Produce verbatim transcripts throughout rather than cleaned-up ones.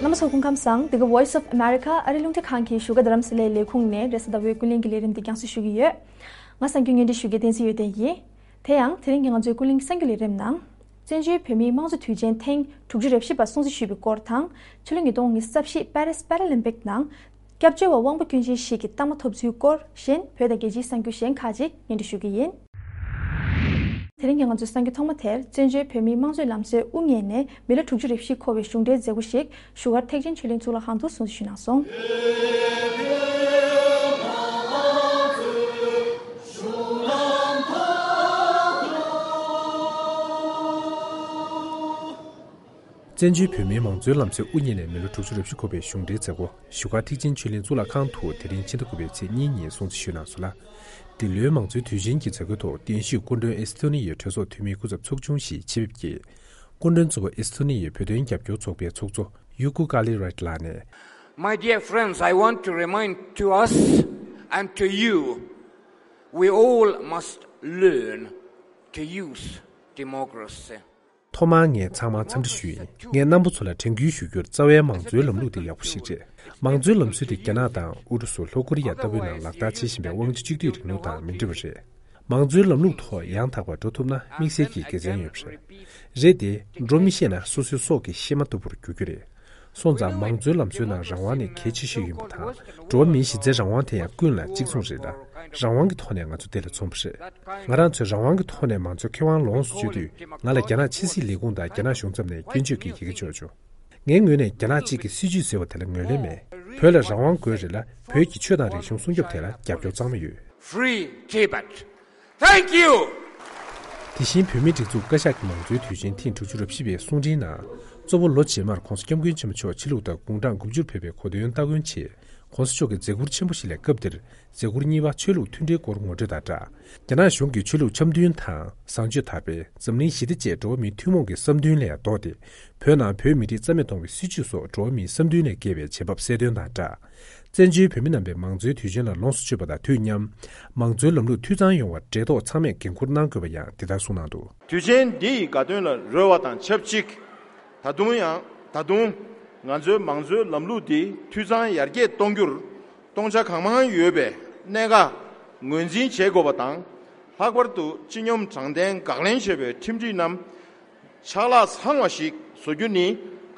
རྣམ་པ་ཚོ་སྐུ་ཁམས་བཟང་། འདི་ག་Voice of America ཨ་རི་རླུང་འཕྲིན་ཁང་གི་བཞུགས་སྒར་རྡ་རམ་ས་ལའི་ལས་ཁུངས་ནས་རེས་གཟའ་ཟླ་བའི་ཀུན་གླེང་གི་ལས་རིམ་འདི་རྒྱང་སྲིང་ཞུ་གི་ཡོད། ང་གསར་འགོད་བརྙན་འཕྲིན་ཞུ་མཁན་བསྟན་འཛིན་ཡོན་ཏན་ཡིན། དེ་ཡང་དེ་རིང་གི་ང་ཚོའི་ཀུན་གླེང་གསར་འགྱུར་ལས་རིམ་ནང་། བཙན་བྱོལ་བོད་མིའི་དམངས་གཙོ་དུས་ཆེན་ཐེངས་དྲུག་ཅུ་རེ་བཞི་པ་སྲུང་བརྩི་ཞུས་པའི་སྐོར་དང་། ཕྱི་ལོ་ཉིས་སྟོང་ཉི་ཤུ་རྩ་བཞི་པེ་རིས་པེ་ར་ལིམ་པིག་ནང་། སྐྱབས་བཅོལ་བ་དབང་པོ་སྐྱོན་ཅན་ཞིག་གི་རྟགས་མ་ཐོབ་ཚུལ་སྐོར་གཞན་བོད་དང་རྒྱལ་སྤྱིའི་གསར་འགྱུར་གཞན་ཁག་ཅིག་སྙན་སྒྲོན་ཞུ་གི་ཡིན། དེ་རིང་གི་ང་ཚོའི་གསར་འགྱུར་ཐོག་མ་དེར་བཙན་བྱོལ་བོད་མིའི་དམངས་གཙོའི་ལམ་སྲོལ་དབུ་བརྙེས་ནས་མི་ལོ་དྲུག་ཅུ་རེ་བཞི་འཁོར་བའི་གཞུང་འབྲེལ་མཛད་སྒོ་ཞིག་བཞུགས་སྒར་ཐེག་ཆེན་ཆོས་གླིང་གཙུག་ལག་ཁང་དུ་སྲུང་བརྩི་ཞུས་གནང་སོང་། བཙན་བྱོལ་བོད་མིའི་མང་གཙོའི་ལམ་སྲོལ་དབུ་བརྙེས་ནས་མི་ལོ་དྲུག་ཅུ་རེ་བཞི་འཁོར་བའི་གཞུང་འབྲེལ་མཛད་སྒོ་བཞུགས་སྒར་ཐེག་ཆེན་ཆོས་གླིང་གཙུག་ལག་ཁང་དུ་དེ་རིང་ཕྱི་ཟླ་དགུ་པའི་ཚེས་གཉིས་ཉིན་སྲུང་བརྩི་ཞུས་གནང་སོང་ལ། འདི་ལོའི་མང་གཙོའི་དུས་ཆེན་གྱི་མཛད་སྒོའི་ཐོག་གདན་ཞུས་སྐུ་མགྲོན་ཨེ་སི་ཐོ་ནི་ཡའི་གྲོས་ཚོགས་འཐུས་མི་སྐུ་ཚབ་ཚོགས་ཆུང་ཞིག་ཆེད་ཕེབས་ཀྱིས། སྐུ་མགྲོན་གཙོ་བོ་ཨེ་སི་ཐོ་ནི་ཡའི་བོད་དོན་རྒྱབ་སྐྱོར་ཚོགས་པའི་ཚོགས་གཙོ་ཡུ་ཀུ་ཀ་ལི་རའིཊ་ལགས་ནས། My dear friends, I want to remind to us and to you, we all must learn to use democracy. ཐོག་མར་ངས་ཚང་མར་འཚམས་འདྲི་ཞུ་ཡིན། ངས་རྣམ་པ་ཚོ་ལ་དྲན་སྐུལ་ཞུ་རྒྱུར་རྩ་བའི་མང་གཙོའི་ལམ་ལུགས་དེ་ཡག་པོ་ཞིག་རེད། མང་གཙོའི་ལམ་སྲོལ་དེ་རྒྱ་ནག་དང་ཨུ་རུ་སུ། ལྷོ་ཀོ་རི་ཡ་ལྟ་བུའི་ནང་ལག་བསྟར་བྱེད་བཞིན་པའི་དབང་ཆ་གཅིག་སྡུད་རིང་ལུགས་དང་མི་འདྲ་བ་རེད། མང་གཙོའི་ལམ་ལུགས་ཐོག་ཡང་དག་པར་འགྲོ་ཐུབ་ན་དམིགས་བསལ་གྱི་དགེ་མཚན་ཡོད་པ་རེད། རེད་དེ། འགྲོ་མི་ཤེས་ན་སོ་སོའི་སྲོག་གི་གཤེད་མ་ལྟ་བུར་འགྱུར་རྒྱུ་རེད། སོང་ཙང་མང་གཙོའི་ལམ་སྲོལ་ནང་རང་དབང་ནི་གལ་ཆེ་ཤོས་ཡིན་པ་དང་། འགྲོ་བ་མིའི་གཞི་རྩའི་རང་དབང་དེ་ཡང་ཀུན་ལ་གཅིག་མཚུངས་རེད་ལ། རང་དབང་གི་ཐོག་ནས་ང་ཚོ་དེ་ལ་འཛོམས་པ་རེད། ང་རང་ཚོས་རང་དབང་གི་ཐོག་ནས་མང་གཙོའི་ཁེ་དབང་ལོངས་སུ་སྤྱོད་དུས། ང་ལ་རྒྱ་ནག་ཕྱི་སྲིད་ལས་ཁུངས་དང་རྒྱ་ནག་གཞུང་མཚམས་ནས་སྐྱོན་བརྗོད་ཀྱི་ཡི་གེ་འབྱོར་བྱུང་། ངའི་ངོས་ནས་རྒྱ་ནག་གཅིག་གི་སྲིད་བྱུས་ཟེར་བ་དེ་ལ་ངོས་ལེན་མེད། བོད་ལ་རང་དབང་དགོས་རེད་ལ། བོད་ཀྱི་ཆོས་དང་རིག་གཞུང་སྲུང་སྐྱོབ་དེ་ལ་རྒྱབ་སྐྱོར་གཙང་མ་ཡོད། Free Tibet. Thank you. དེ་བཞིན་བོད་མིའི་སྒྲིག་འཛུགས་བཀའ་ཤག་གི་མང་གཙོའི་དུས་ཆེན་ཐེངས་དྲུག་ཅུ་རེ་བཞི་པའི་གསུང་འཕྲིན་ནང་། གཙོ་བོ་ལོ་རྗེས་མར་༸གོང་ས་༸སྐྱབས་མགོན་ཆེན་པོ་མཆོག་ཕྱི་ལུགས་དང་དགུང་གྲངས་དགུ་བཅུར་ཕེབས་པའི་གོ་སྟོན་སྟ་གོན་ཆེད། ༸གོང་ས་མཆོག་གི་མཛད་ཁུར་ཆེན་པོ་ཞིག་ལས་སྐབས་འདིར་མཛད་ཁུར་གཉིས་པ་ཆོས་ལུགས་མཐུན་སྒྲིལ་སྐོར་ངོ་སྤྲོད་དང་སྦྲགས། རྒྱ་ནག་གཞུང་གིས་ཆོས་ལུགས་འཆམ་མཐུན་དང་བཟང་སྤྱོད་དར་སྤེལ། འཛམ་གླིང་ཞི་བདེ་བཅས་འགྲོ་བ་མིའི་ཐུན་མོང་གི་བསམ་འདུན་ལས་ལྡོག་སྟེ། བོད་ནང་བོད་མི་རིགས་རྩ་མེད་གཏོང་བའི་སྲིད་བྱུས་སོགས་འགྲོ་བ་མིའི་བསམ་འདུན་ལས་བརྒལ་བའི་བྱེད་བབ་གསལ་སྟོན་དང་སྦྲགས། བཙན་བྱོལ་བོད་མི་རྣམ་པས་མང་གཙོའི་དུས་ཆེན་ལ་ལོངས་སུ་སྤྱོད་པ་དང་དུས་མཉམ། མང་གཙོའི་ལམ་ལུགས་འཐུས་ཚང་ཡོང་བར་འབྲེལ་ཐོགས་ཚང་མས་འགན་འཁུར་གནང་དགོས་པ་ཡང་འདི་ལྟར་གསུངས་གནང་འདུག། དུས་ཆེན་འདི་ཡི་དགའ་སྟོན་ལ་རོལ་བ་དང་ཆབས་ཅིག། ད་དུང་ཡང་ད་དུང་ང་ཚོའི་མང་གཙོའི་ལམ་ལུགས་འདི་འཐུས་ཚང་ཡར་རྒྱས་གཏོང་རྒྱུར། སྟོང་ཆ་གང་མང་ཡོད་པའི་གནད་འགག་ངོས་འཛིན་བྱེད་དགོས་པ་དང་། ལྷག་པར་དུ་སྤྱི་སྙོམས་དྲང་བདེན་དགག་ལན་བྱེད་པའི་ཁྲིམས་སྒྲིག་རྣམས་ཆག་ལྷག་ཚང་བ་ཞིག་བཟོ་རྒྱུ་ནི་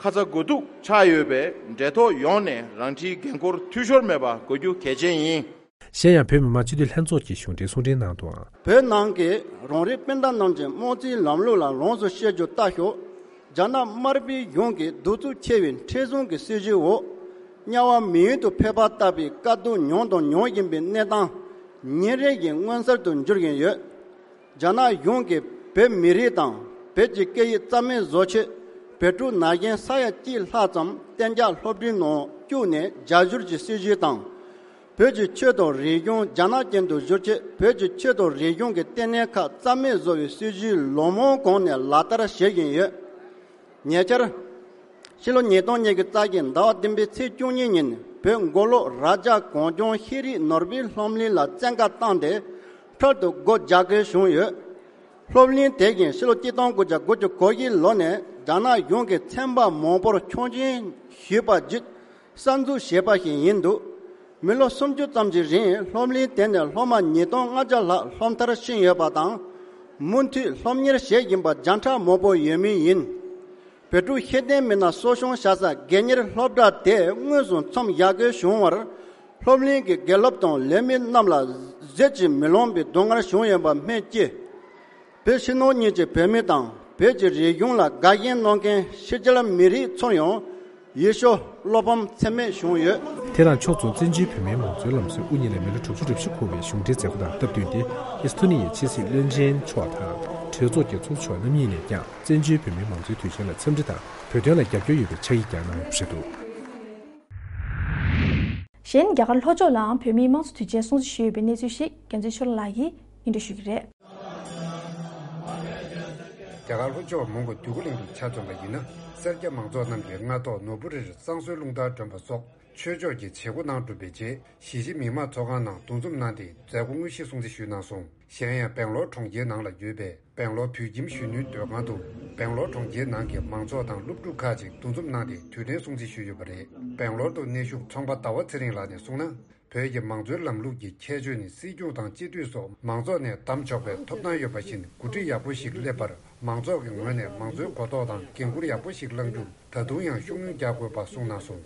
ཁ་ཚ་དགོས་གཏུགས་ཆགས་ཡོད་པས། འབྲེལ་ཐོགས་ཡོངས་ནས་རང་འཁྲིའི་འགན་འཁུར་འཐུས་ཤོར་མེད་པ་དགོས་རྒྱུ་གལ་ཆེན་ཡིན། གཞན་ཡང་བོད་མི་མང་སྤྱི་འཐུས་ལྷན་ཚོགས་ཀྱི་གཞུང་འབྲེལ་གསུང་འཕྲིན་ནང་དུའང་། བོད་ནང་གི་རང་རིགས་སྤུན་ཟླ་རྣམས་ཀྱི་དམངས་གཙོའི་ལམ་ལུགས་ལ་ལོངས་སུ་སྤྱོད་རྒྱུ་ལྟ་ཞོག། རྒྱ་ནག་དམར་པོའི་གཞུང་གིས་གདུག་རྩུབ་ཆེ་བའི་མཁྲེགས་བཟུང་གི་སྲིད་བྱུས་འོག། དམྱལ་བ་མི་ཡུལ་དུ་ཕེབས་པ་ལྟ་བུའི་དཀའ་སྡུག་མྱོང་དང་མྱོང་བཞིན་པའི་གནས་སྟངས་ཉིན་རེ་བཞིན་མངོན་གསལ་དུ་འགྱུར་བཞིན་ཡོད། རྒྱ་ནག་གཞུང་གིས་བོད་མི་རིགས་དང་བོད་ཀྱི་སྐད་ཡིག་རྩ་མེད་བཟོ་ཆེད། བོད་ཕྲུག་ན་གཞོན་ས་ཡ་གཅིག་ལྷག་ཙམ་གཏན་འཇགས་སློབ་གྲྭའི་ནང་བཅུག་ནས་རྒྱ་བསྒྱུར་གྱི་སྲིད་བྱུས་དང་། བོད་ཀྱི་ཆོས་དང་རིག་གཞུང་རྒྱ་ནག་ཅན་དུ་བསྒྱུར་ཆེད། བོད་ཀྱི་ཆོས་དང་རིག་གཞུང་གི་ལྟེ་གནས་ཁག་རྩ་མེད་བཟོ་བའི་སྲིད་བྱུས་ལོ་མང་གོང་ནས་ལག་བསྟར་བྱེད་བཞིན་ཡོད། ཉེ་ཆར། ཕྱི་ལོ་ཉིས་སྟོང་ཉི་ཤུ་རྩ་བཞི་ཟླ་བ་བདུན་པའི་ཚེས་བཅུ་གཉིས་ཉིན་བོད་མགོ་ལོག་རྭ་རྒྱ་གངས་ལྗོངས་ཤེས་རིག་ནོར་བུའི་སློབ་གླིང་ལ་བཙན་བཀའ་བཏང་སྟེ་འཕྲལ་དུ་སྒོ་རྒྱག་དགོས་བྱུང་ཡོད། སློབ་གླིང་དེ་བཞིན་ཕྱི་ལོ་གཅིག་སྟོང་དགུ་བརྒྱ་དགུ་བཅུ་གོ་བཞི་ལོ་ནས་རྒྱ་ནག་གཞུང་གིས་ཚན་པ་མང་པོར་ཆོག་མཆན་ཞུས་པ་བརྒྱུད། གསར་འཛུགས་བྱས་པ་ཞིག་ཡིན་འདུག། མི་ལོ་སུམ་ཅུ་ཙམ་གྱི་རིང་སློབ་གླིང་དེ་ནས་སློབ་མ་ཉིས་སྟོང་ལྔ་བརྒྱ་ལྷག་སློབ་མཐར་ཕྱིན་ཡོད་པ་དང་། མུ་མཐུད་སློབ་གཉེར་བྱེད་བཞིན་པ་བརྒྱ་ཕྲག་མང་པོ་ཡོད་མུས་ཡིན། བོད་ཕྲུག་ཤེས་ལྡན་མི་སྣ་གསོ་སྐྱོང་བྱ་ས་དགོས་གཉེར་སློབ་གྲྭ་དེ་དངོས་སུ་མཚམས་བཞག་དགོས་བྱུང་བར། སློབ་གླིང་གི་དགེ་སློབ་དང་ལས་མི་རྣམས་ལ་གཟི་བརྗིད་མི་ལོངས་པའི་སྡུག་བསྔལ་བྱུང་ཡོད་པ་སྨོས་ཅི། བོད་ཕྱི་ནང་གཉིས་ཀྱི་བོད་མི་དང་བོད་ཀྱི་རིག་གཞུང་ལ་དགའ་ཞེན་གནང་མཁན་ཕྱི་རྒྱལ་མི་རིགས་ཚོར་ཡང་ཡིད་སྐྱོ་བློ་ཕམ་ཚད་མེད་བྱུང་ཡོད། དེ་དང་ཕྱོགས་མཚུངས་བཙན་བྱོལ་བོད་མིའི་མང་གཙོའི་ལམ་སྲོལ་དབུ་བརྙེས་ནས་མི་ལོ་དྲུག་ཅུ་རེ་བཞི་འཁོར་བའི་གཞུང་འབྲེལ་མཛད་སྒོ་དང་སྟབས་བསྟུན་ཏེ། ཨེ་སི་ཐོ་ནི་ཡའི་ཕྱི་སྲིད་བློན་ཆེན་མཆོག་དང་གྲོས་ཚོགས་ཀྱི་ཚོགས་གཙོ་མཆོག་རྣམ་གཉིས་ནས་ཀྱང་བཙན་བྱོལ་བོད་མིའི་མང་གཙོའི་དུས་ཆེན་ལ་འཚམས་འདྲི་དང་བོད་དོན་ལ་རྒྱབ་སྐྱོར་ཡོད་པའི་ཕྱག་ཡིག་ཀྱང་གནང་ཡོད་པ་རེད་འདུག། གཞན། རྒྱ་གར་ལྷོ་ཕྱོགས་ལའང་བོད་མིའི་དམངས་གཙོ་དུས་ཆེན་སྲུང་བརྩི་ཞུས་ཡོད་པའི་གནས་ཚུལ་ཞིག་རྒྱལ་མཚན་ཆོས་ལགས་ཀྱིས་སྙན་སྒྲོན་ཞུ་གི་རེད། རྒྱ་གར་ལྷོ་ཕྱོགས་མོན་གྷོ་འདོད་རྒུ་གླིང་དུ་ཆ་མཚོན་པ་ཡིན་ན། སེར་སྐྱ་མང་ཚོགས་རྣམས་ཀྱིས་སྔ་ཐོག་ནོར་བུ་རིར་བསང་གསོལ་རླུང་རྟ་སྒྲོན་པ་སོགས་ ཆོས་ཕྱོགས་ཀྱི་བྱེད་སྒོ་གནང་གྲུབ་པའི་རྗེས། གཞིས་བྱེས་མི་མང་ཚོགས་ཁང་ནང་འདུ་འཛོམས་གནང་སྟེ་མཛད་སྒོ་དངོས་གཞི་སྲུང་བརྩི་ཞུས་གནང་སོང་། གཞན་ཡང་སྦེང་ལོར་གྲོང་ཁྱེར་ནང་ལ་ཡོད་པའི་སྦེང་ལོར་བོད་ཁྱིམ་གཞོན་ནུའི་སྡོད་ཁང་དུ། སྦེང་ལོར་གྲོང་ཁྱེར་ནང་གི་མང་ཚོགས་དང་སློབ་ཕྲུག་ཁག་ཅིག་འདུ་འཛོམས་གནང་སྟེ་དུས་དྲན་སྲུང་བརྩི་ཞུས་ཡོད་པ་རེད། སྦེང་ལོར་དུ་གནས་བཞུགས་ཚོང་པ་ཟླ་བ་ཚེ་རིང་ལགས་ནས་གསུངས་ན། བོད་ཀྱི་མང་གཙོའི་ལམ་ལུགས་ཀྱི་ཁྱད་ཆོས་ནི། སྲིད་སྐྱོང་དང་སྤྱི་འཐུས་སོགས་མང་ཚོགས་ནས་བདམས་ཆོག་པའི་ཐོབ་ཐང་ཡོད་པ་བཞིན། འགོ་ཁྲིད་ཡག་པོ་ཞིག་སླེབས་པར་མང་ཚོགས་ཀྱི་ངོས་ནས་མང་གཙོའི་གོ་རྟོགས་དང་འགན་འཁུར་ཡག་པོ་ཞིག་བླང་རྒྱུར་ད་དུང་ཡང་ཤུགས་སྣོན་རྒྱག་དགོས་པ་གསུངས་གནང་སོང་།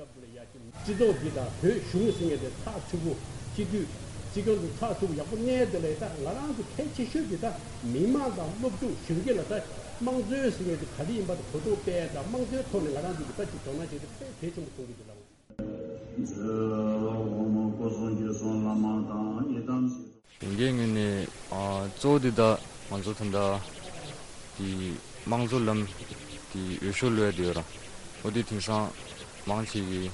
སྤྱི་ཚོགས་འདི་དང་བོད་གཞུང་ཟེར་མཁན་དེ་ཚགས་ཚུད་པོ། སྤྱི་འཐུས་སྲིད་སྐྱོང་དེ་ཚགས་ཚུད་པོ་ཡག་པོ་གནས་དེ་ལས། ད་ང་རང་ཚོ་གལ་ཆེ་ཤོས་དེ་ད་མི་མང་དང་སློབ་ཕྲུག་གཞོན་སྐྱེས་ལ་ད་དམངས་གཙོའི་ཟེར་མཁན་དེ་ག་འདྲ་ཡིན་པ་དེ་གོ་རྟོགས་སྤེལ་དང་། དམངས་གཙོའི་ཐོག་ནས་ང་རང་ཚོ་གི་ད་ཅིག་དོ་སྣང་བྱས་ཏེ་དཔེ་གལ་ཆེན་པོ་མཐོང་གི་འདུག་ལགས། གཞོན་སྐྱེས་ངོས་ནས་ཨ་གཙོ་བོ་འདི་ད་ང་ཚོ་ད་ལྟ་དེ་དམངས་གཙོ་ལམ་དེ་འོས་ཤོག་བླུགས་ཡ་དེ་ཡོད་ར། འོ་དེ་དེང་སང་མང་ཆེ་གི་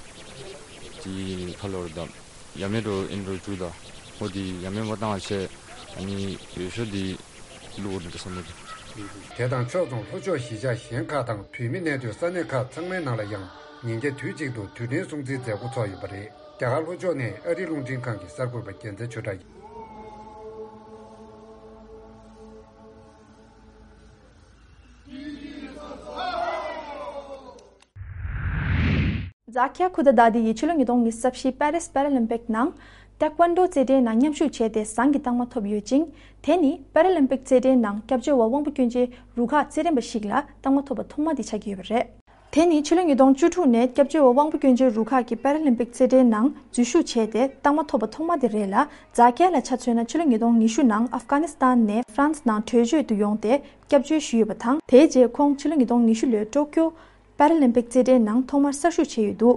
དེ་ཁ་ལོར་ད་ཡ་མེད་འགྲོ་ཨིན་འགྲོ་བཅུག་ད། འོ་དེ་ཡ་མེད་མ་བཏང་བ་བྱས། ཨ་ནི་འོས་ཤོག་དེ་བླུགས་འོ་དེ་འདྲ་བསམ་གི་འདུག་དེ་དང་ཕྱོགས་མཚུངས་ལྷོ་ཕྱོགས་གཞིས་ཆགས་གཞན་ཁག་དང་བོད་མི་གནས་སྡོད་ས་གནས་ཁག་ཚང་མའི་ནང་ལ་ཡང་ཉིན་རྒྱབ་དུས་གཅིག་ཏུ་དུས་དྲན་སྲུང་བརྩིའི་མཛད་སྒོ་ཚོགས་ཡོད་པ་རེད། རྒྱ་གར་ལྷོ་ཕྱོགས་ནས་ཨ་རིའི་རླུང་འཕྲིན་ཁང་གི་གསར་འགོད་པ་རྒྱལ་མཚན་ཆོས་གྲགས་ཡིན། རྫ་ཁྱ་ཁུ་དཱ་དཱ་དི་ཡིས་ཕྱི་ལོ་ཉིས་སྟོང་ཉི་ཤུ་རྩ་བཞི་པེ་རིས་པེ་ར་ལིམ་པིག་ནང་ཏེ་ཀོན་ཌོ་རྩེད་འགྲན་ནང་མཉམ་ཞུགས་བྱས་ཏེ་ཟངས་ཀྱི་རྟགས་མ་ཐོབ་ཡོད་ཅིང་། དེ་ནི་པེ་ར་ལིམ་པིག་རྩེད་འགྲན་ནང་སྐྱབས་བཅོལ་བ་དབང་པོ་སྐྱོན་ཅན་རུ་ཁག་རྩེད་འགྲན་པ་ཞིག་ལ་རྟགས་མ་ཐོབ་པ་ཐོག་མ་དེ་ཆགས་ཀྱི་ཡོད་པ་རེད། དེ་ནི་ཕྱི་ལོ་ཉིས་སྟོང་བཅུ་དྲུག་ནས་སྐྱབས་བཅོལ་བ་དབང་པོ་སྐྱོན་ཅན་རུ་ཁག་གིས་པེ་ར་ལིམ་པིག་རྩེད་འགྲན་ནང་འཛུལ་ཞུགས་བྱས་ཏེ་རྟགས་མ་ཐོབ་པ་ཐོག་མ་དེ་རེད་ལ། རྫ་ཁྱ་ལ་ཆ་མཚོན་ན་ཕྱི་ལོ་ཉིས་སྟོང་ཉི་ཤུ་ནང་ཨབ་གྷ་ནི་སི་ཐན་ནས་ཧྥ་རན་སི་ནང་བྲོས་བྱོལ་དུ་ཡོང་སྟེ་སྐྱབས་བཅོལ་ཞུས་ཡོད་པ་དང་། དེའི་རྗེས་ཁོང་ཕྱི་ལོ་ཉིས་སྟོང་ཉི་ཤུ་ལོའི་ཀྲོ་ཀྱོ་པེ་ར་ལིམ་པིག་རྩེད་འགྲན་ནང་ཐོག་མར་གསར་ཞུགས་བྱས་ཡོད་འདུག་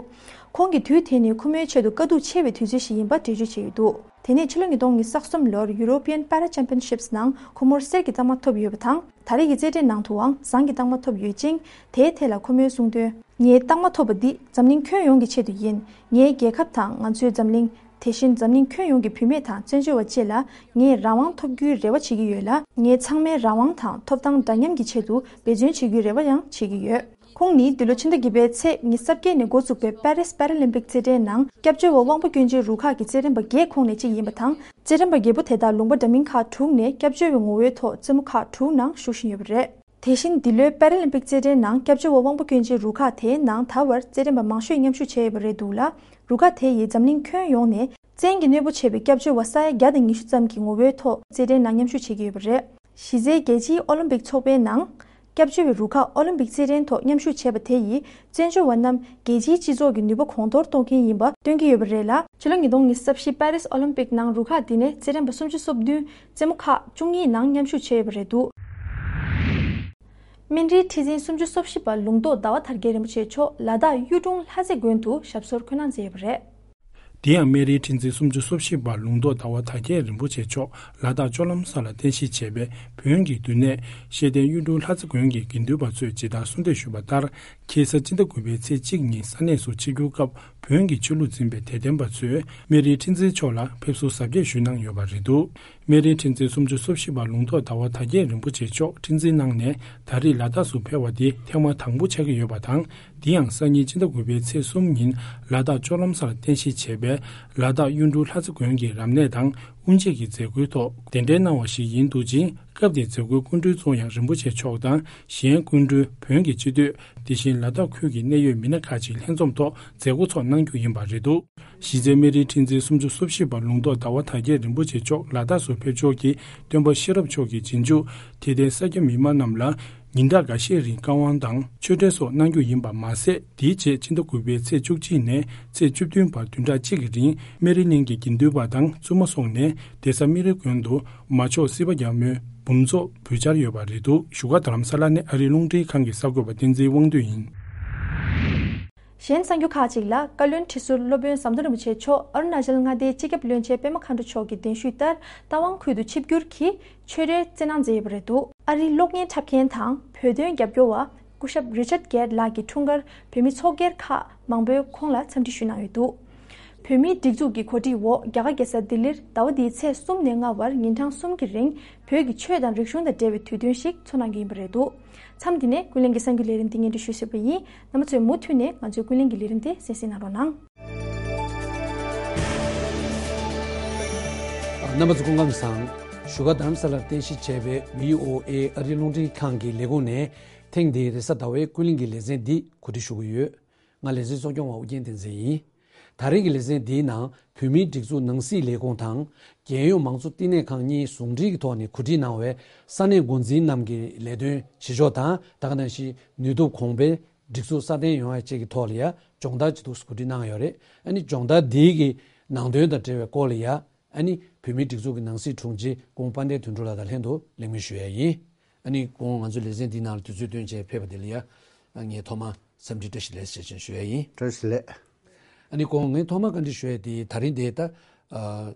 ཁོང་གི་དུས་དེ་ནི་ཁོ་མོའི་ཆེད་དུ་དཀའ་སྡུག་ཆེ་བའི་དུས་ཚོད་ཞིག་ཡིན་པ་འགྲེལ་བརྗོད་བྱས་ཡོད་འདུག་དེ་ནས་ཕྱི་ལོ་ཉིས་སྟོང་ཉི་ཤུ་རྩ་གསུམ་ལོར་European Para Championships ནང་ཁོ་མོར་གསེར་གྱི་རྟགས་མ་ཐོབ་ཡོད་པ་དང་། ད་རེས་ཀྱི་རྩེད་འགྲན་ནང་དུའང་ཟངས་ཀྱི་རྟགས་མ་ཐོབ་ཡོད་ཅིང་། དེའི་ཐད་ལ་ཁོ་མོས་གསུངས་དོན། ངའི་རྟགས་མ་ཐོབ་པ་འདི་འཛམ་གླིང་ཁྱོན་ཡོངས་ཀྱི་ཆེད་དུ་ཡིན། ངའི་རྒྱལ་ཁབ་དང་ང་ཚོའི་འཛམ་གླིང་། དེ་བཞིན་འཛམ་གླིང་ཁྱོན་ཡོངས་ཀྱི་བུད་མེད་དང་བཙན་བྱོལ་བ་བཅས་ལ་ངས་རང་དབང་ཐོབ་རྒྱུའི་རེ་བ་བྱེད་ཀྱི་ཡོད་ལ། ངས་ཚང་མའི་རང་དབང་དང་ཐོབ་ཐང་འདྲ་མཉམ་གྱི་ཆེད་དུ་འབད་བརྩོན་བྱེད་རྒྱུའི་རེ་བ་ཡང་བྱེད་ཀྱི་ཡོད། ཁོང་ནི་འདི་ལོ་ཕྱི་ཟླ་བརྒྱད་པའི་ཚེས་ཉི་ཤུ་རྩ་བརྒྱད་ནས་འགོ་བཙུགས་པའི་པེ་རིས་པེ་ར་ལིམ་པིག་རྩེད་འགྲན་ནང་སྐྱབས་བཅོལ་བ་དབང་པོ་སྐྱོན་ཅན་རུ་ཁག་གི་རྩེད་འགྲན་པ་བརྒྱད་ཁོངས་ནས་གཅིག་ཡིན་པ་དང་། རྩེད་འགྲན་པ་བརྒྱད་པོ་དེ་དག་ལུང་པ་འདྲ་མིན་ཁག་དྲུག་ནས་སྐྱབས་བཅོལ་བའི་ངོ་བོའི་ཐོག་རྩེད་མོ་ཁག་དྲུག་ནང་ཞུགས་བཞིན་ཡོད་པ་རེད། དེ་བཞིན་འདི་ལོའི་པེ་ར་ལིམ་པིག་རྩེད་འགྲན་ནང་སྐྱབས་བཅོལ་བ་དབང་པོ་སྐྱོན་ཅན་རུ་ཁག་དེའི་ནང་ད་བར་རྩེད་འགྲན་པ་མང་ཤོས་མཉམ་ཞུགས་བྱས་ཡོད་པ་རེད་འདུག་ལ། རུ་ཁག་དེ་ཡིས་འཛམ་གླིང་ཁྱོན་ཡོངས་ནས་བཙན་གྱིས་གནོད་པོ་བྱས་པའི་སྐྱབས་བཅོལ་བ་ས་ཡ་བརྒྱ་དང་ཉི་ཤུ་ཙམ་གྱི་ངོ་བོའི་ཐོག་རྩེད་འགྲན་ནང་མཉམ་ཞུགས་བྱེད་ཀྱི་ཡོད་པ་རེད། གཞི་རྩའི་རྒྱལ་སྤྱིའི་ཨོ་ལིམ་པིག་ཚོགས་པའི་ནང་། སྐྱབས་བཅོལ་བའི་རུ་ཁག་ཨོ་ལིམ་པིག་རྩེད་འགྲན་ཐོག་མཉམ་ཞུགས་བྱས་པ་དེ་ཡིས་བཙན་བྱོལ་བ་རྣམས་རྒྱལ་སྤྱིའི་སྤྱི་ཚོགས་ཀྱི་ནུས་པ་གོང་མཐོར་གཏོང་མཁན་ཡིན་པ་སྟོན་གྱི་ཡོད་པ་རེད་ལ། ཕྱི་ལོ་ཉིས་སྟོང་ཉི་ཤུ་རྩ་བཞི་པེ་རིས་ཨོ་ལིམ་པིག་ནང་རུ་ཁག་འདི་ནས་རྩེད་འགྲན་པ་སུམ་ཅུ་སོ་བདུན་རྩེད་མོ་ཁག་བཅུ་གཉིས་ནང་མཉམ་ཞུགས་བྱས་ཡོད་པ་རེད་འདུག་སྨན་རིའི་ཁྲི་འཛིན་སུམ་ཅུ་སོ་བཞི་པ་ལུང་རྟོགས་ཟླ་བ་དར་རྒྱས་རིན་པོ་ཆེ་མཆོག་ལ་དྭགས་གཡུ་སྒྲུང་ལྷ་རྩེ་དགོན་དུ་ཞབས་སོར་འཁོད་གནང་མཛད་ཡོད་པ་རེད། དེ་ཡང་སྨན་རིའི་ཁྲི་འཛིན་སུམ་ཅུ་སོ་བཞི་པ་ལུང་རྟོགས་ཟླ་བ་དར་རྒྱས་རིན་པོ་ཆེ་མཆོག་ལ་དྭགས་ལྕོག་ལམ་ས་ལ་རྟེན་གཞི་བྱས་པའི་བོན་གྱི་འདུས་གནས་ཤེས་ལྡན་གཡུ་སྒྲུང་ལྷ་རྩེ་དགོན་གྱི་དགེ་འདུན་པ་ཚོས་ཇི་ལྟར་གསོལ་འདེབས་ཞུས་པ་ལྟར། ཁ་སང་སྤྱི་ཟླ་དགུ་པའི་ཚེས་གཅིག་ཉིན་ས་གནས་སུ་ཆིབས་བསྒྱུར་སྐབས་བོན་གྱི་ཆོས་ལུགས་འཛིན་པའི་དད་ལྡན་པ་ཚོས་སྨན་རིའི་ཁྲི་འཛིན་མཆོག་ལ་ཕེབས་བསུ་གཟབ་རྒྱས་ཞུས་གནང་ཡོད་པ་རེད་འདུག་སྨན་རིའི་ཁྲི་འཛིན་སུམ་ཅུ་སོ་བཞི་པ་ལུང་རྟོགས་ཟླ་བ་དར་རྒྱས་རིན་པོ་ཆེ་མཆོག་ཁྲི་འཛིན་གནང་ནས་ད་རེས་ལ་དྭགས་སུ་ཕེབས་པ་འདི་ཐེངས་མ་དང་པོ་ཆགས་ཀྱི་ཡོད་པ་དང་། འདི་ཡང་སང་ཉིན་སྤྱི་ཟླ་དགུ་པའི་ཚེས་གསུམ་ཉིན་ལ་དྭགས་ལྕོག་ལམ་སར་རྟེན་གཞི་བྱས་པའི་ལ་དྭགས་གཡུ་འབྲུག་ལྷ་རྩེ་དགོན་གྱི་རབ་གནས་དང་དབུ་འབྱེད་ཀྱི་མཛད་སྒོའི་ཐོག་གདན་འདྲེན་གནང་བ་ཞིག་ཡིན་འདུག་ཅིང་། སྐབས་དེའི་མཛད་སྒོའི་སྐུ་མགྲོན་གཙོ་ཡང་རིན་པོ་ཆེ་མཆོག་དང་གཞན་སྐུ་མགྲོན་བོན་གྱི་སྤྱི་འཐུས། དེ་བཞིན་ལ་དྭགས་ཁུལ་གྱི་གནད་ཡོད་མི་སྣ་ཁག་ཅིག་ལྷན་འཛོམས་ཐོག་མཛད་སྒོ་ཚོགས་གནང་རྒྱུ་ཡིན་པ་རེད་འདུག་གཞི་རྩའི་སྨན་རིའི་ཁྲི་འཛིན་སུམ་ཅུ་སོ་བཞི་པ་ལུང་རྟོགས་ཟླ་བ་དར་རྒྱས་རིན་པོ་ཆེ་མཆོག་ལ་དྭགས་སུ་ཕེབས་ཕྱོགས་ཀྱི་སྟོན་པ་ཤེས་རབ་མཆོག་གི་རྗེས་འཇུག་དད་ལྡན་ས་སྐྱ་མི་མང་རྣམས་ལ་ཉིན་གྲངས་འགའ་ཤས་རིང་བཀའ་དབང་དང་ཆོས་འབྲེལ་སོགས་གནང་རྒྱུ་ཡིན་པ་མ་ཟད། དེའི་རྗེས་ཕྱི་ཟླ་དགུ་པའི་ཚེས་བཅུ་གཅིག་ནས་ཚེས་བཅུ་བདུན་བར་བདུན་ཕྲག་གཅིག་གི་རིང་སྨན་རི་གླིང་གི་དགེ་འདུན་པ་དང་བཙུན་མ་སོགས་ནས་གདན་ས་སྨན་རི་དགོན་དུ་མ་ཆོག་སྲིད་པ་རྒྱལ་མོའི་འབུམ་ཚོགས་འབུལ་འཆར་ཡོད་པ་རེད་འདུག་བཞུགས་སྒར་རྡ་རམ་ས་ལ་ནས་ཨ་རིའི་རླུང་འཕྲིན་ཁང་གི་གསར་འགོད་པ་བསྟན་འཛིན་དབང་འདུས་ཡིན། གཞན་གསར་འགྱུར་ཁག་ཅིག་ལ། བཀའ་བློན་ཁྲི་ཟུར་སློབ་དཔོན་ཟམ་གདོང་རིན་པོ་ཆེ་མཆོག་ཨ་རུ་ན་ཅལ་མངའ་སྡེའི་སྤྱི་ཁྱབ་བློན་ཆེན་པད་མ་མཁའ་འགྲོ་མཆོག་གི་གདན་ཞུས་ལྟར་རྟ་དབང་ཁུལ་དུ་ཆིབས་བསྒྱུར་གྱིས་ཆོས་རའི་རྩེད་ནང་མཛད་ཡོད་པ་རེད་འདུག་ཨ་རིའི་གློག་བརྙན་འཁྲབ་མཁན་དང་བོད་དོན་རྒྱབ་སྐྱོར་བ་སྐུ་ཞབས་རི་ཆར་གེར་ལགས་ཀྱི་འཁྲུངས་སྐར་བོད་མི་ཚོགས་སྒེར་ཁག་མང་པོས་ཁོང་ལ་འཚམས་འདྲི་ཞུས་གནང་ཡོད་འདུག་བོད་མིའི་སྒྲིག་འཛུགས་ཀྱི་གོ་སྒྲིག་འོག་རྒྱ་གར་རྒྱལ་ས་ལྡི་ལིར་ཟླ་བ་འདིའི་ཚེས་གསུམ་ནས་ལྔ་བར་ཉིན་གྲངས་གསུམ་གྱི་རིང་བོད་ཀྱི་ཆོས་དང་རིག་གཞུང་དང་འབྲེལ་བའི་དུས་སྟོན་ཞིག་འཚོགས་གནང་རྒྱུ་ཡིན་པ་རེད་འདུག་མཚམས་འདི་ནས་ཀུན་གླེང་གི་གསར་འགྱུར་ལས་རིམ་འདི་སྙན་སྒྲོན་ཞུས་ཟིན་པ་ཡིན། རྣམ་པ་ཚོས་མུ་མཐུད་ནས་ང་ཚོའི་ཀུན་གླེང་གི་ལས་རིམ་དེ་གསན་གཟིགས་གནང་རོགས་གནང་ རྣམ་པ་ཚོ་སྐུ་ཁམས་བཟང་། བཞུགས་སྒར་རྡ་རམ་ས་ལར་རྟེན་གཞི་བྱས་པའི་བྷི་ཨོ་ཨེ་ཨ་རིའི་རླུང་འཕྲིན་ཁང་གི་ལས་ཁུངས་ནས་ཐེངས་འདིའི་རེས་གཟའ་ཟླ་བའི་ཀུན་གླེང་གི་ལེ་ཚན་འདི་གོ་སྒྲིག་ཞུ་གི་ཡོད། ང་ལེ་ཚན་གཙོ་སྐྱོང་བ་ཨུ་རྒྱན་བསྟན་འཛིན་ཡིན། ད་རེས་ཀྱི་ལེ་ཚན་འདིའི་ནང་བོད་མིའི་སྒྲིག་འཛུགས་ནང་སྲིད་ལས་ཁུངས་དང་། རྒྱལ་ཡོངས་མང་གཙོ་བསྟི་གནས་ཁང་གཉིས་ཟུང་འབྲེལ་གྱི་ཐོག་ནས་གོ་སྒྲིག་གནང་བའི་ས་གནས་འགོ་འཛིན་རྣམས་ཀྱི་ལས་དོན་བྱེད་ཕྱོགས་དང་། ད་ག་ནང་བཞིན་ནུས་སྟོབས་གོང་འཕེལ། སྒྲིག་འཛུགས་སྲ་བརྟན་ཡོང་ཡ་བཅས་ཀྱི་ཐོག་ལ་ཡ་སྦྱོང་བརྡར་ཅིག་འདུག་གོ་སྒྲིག་གནང་ཡོད་རེད། ཨ་ནི་སྦྱོང་བརྡར་འདིའི་གི་ནང་དོན་དང་འབྲེལ་བའི་སྐོར་ལ་ཡ། ཨ་ནི་བོད་མིའི་སྒྲིག་འཛུགས་ཀྱི་ནང་སྲིད་དྲུང་ཆེ་སྐུ་ངོ་དཔལ་ལྡན་དོན་གྲུབ་ལགས་དང་ལྷན་དུ་གླེང་མོལ་ཞུ་ཡ་ཡིན། ཨ་ནི་སྐུ་ངོ་ང་ཚོའི་ལེ་ཚན་འདིའི་ནང་ལ་དུས་ཚོད་བཏོན་བྱས་ཕེབས་པ་དེ་ལ་ཡ། ཨ་ངས་ཐོག་མར་འཚམས་འདྲི་བཀྲ་ཤིས་བདེ་ལེགས་ཞེས་ཞུ་ཡ་ཡིན། བཀྲ་ཤིས་བདེ་ལེགས། ཨ་ནི་སྐུ་ངོ་ངས་ཐོག་མར་བཀའ་འདྲི་ཞུ་ཡ་དེ་ད་རིང་དེ་ད། ཨ།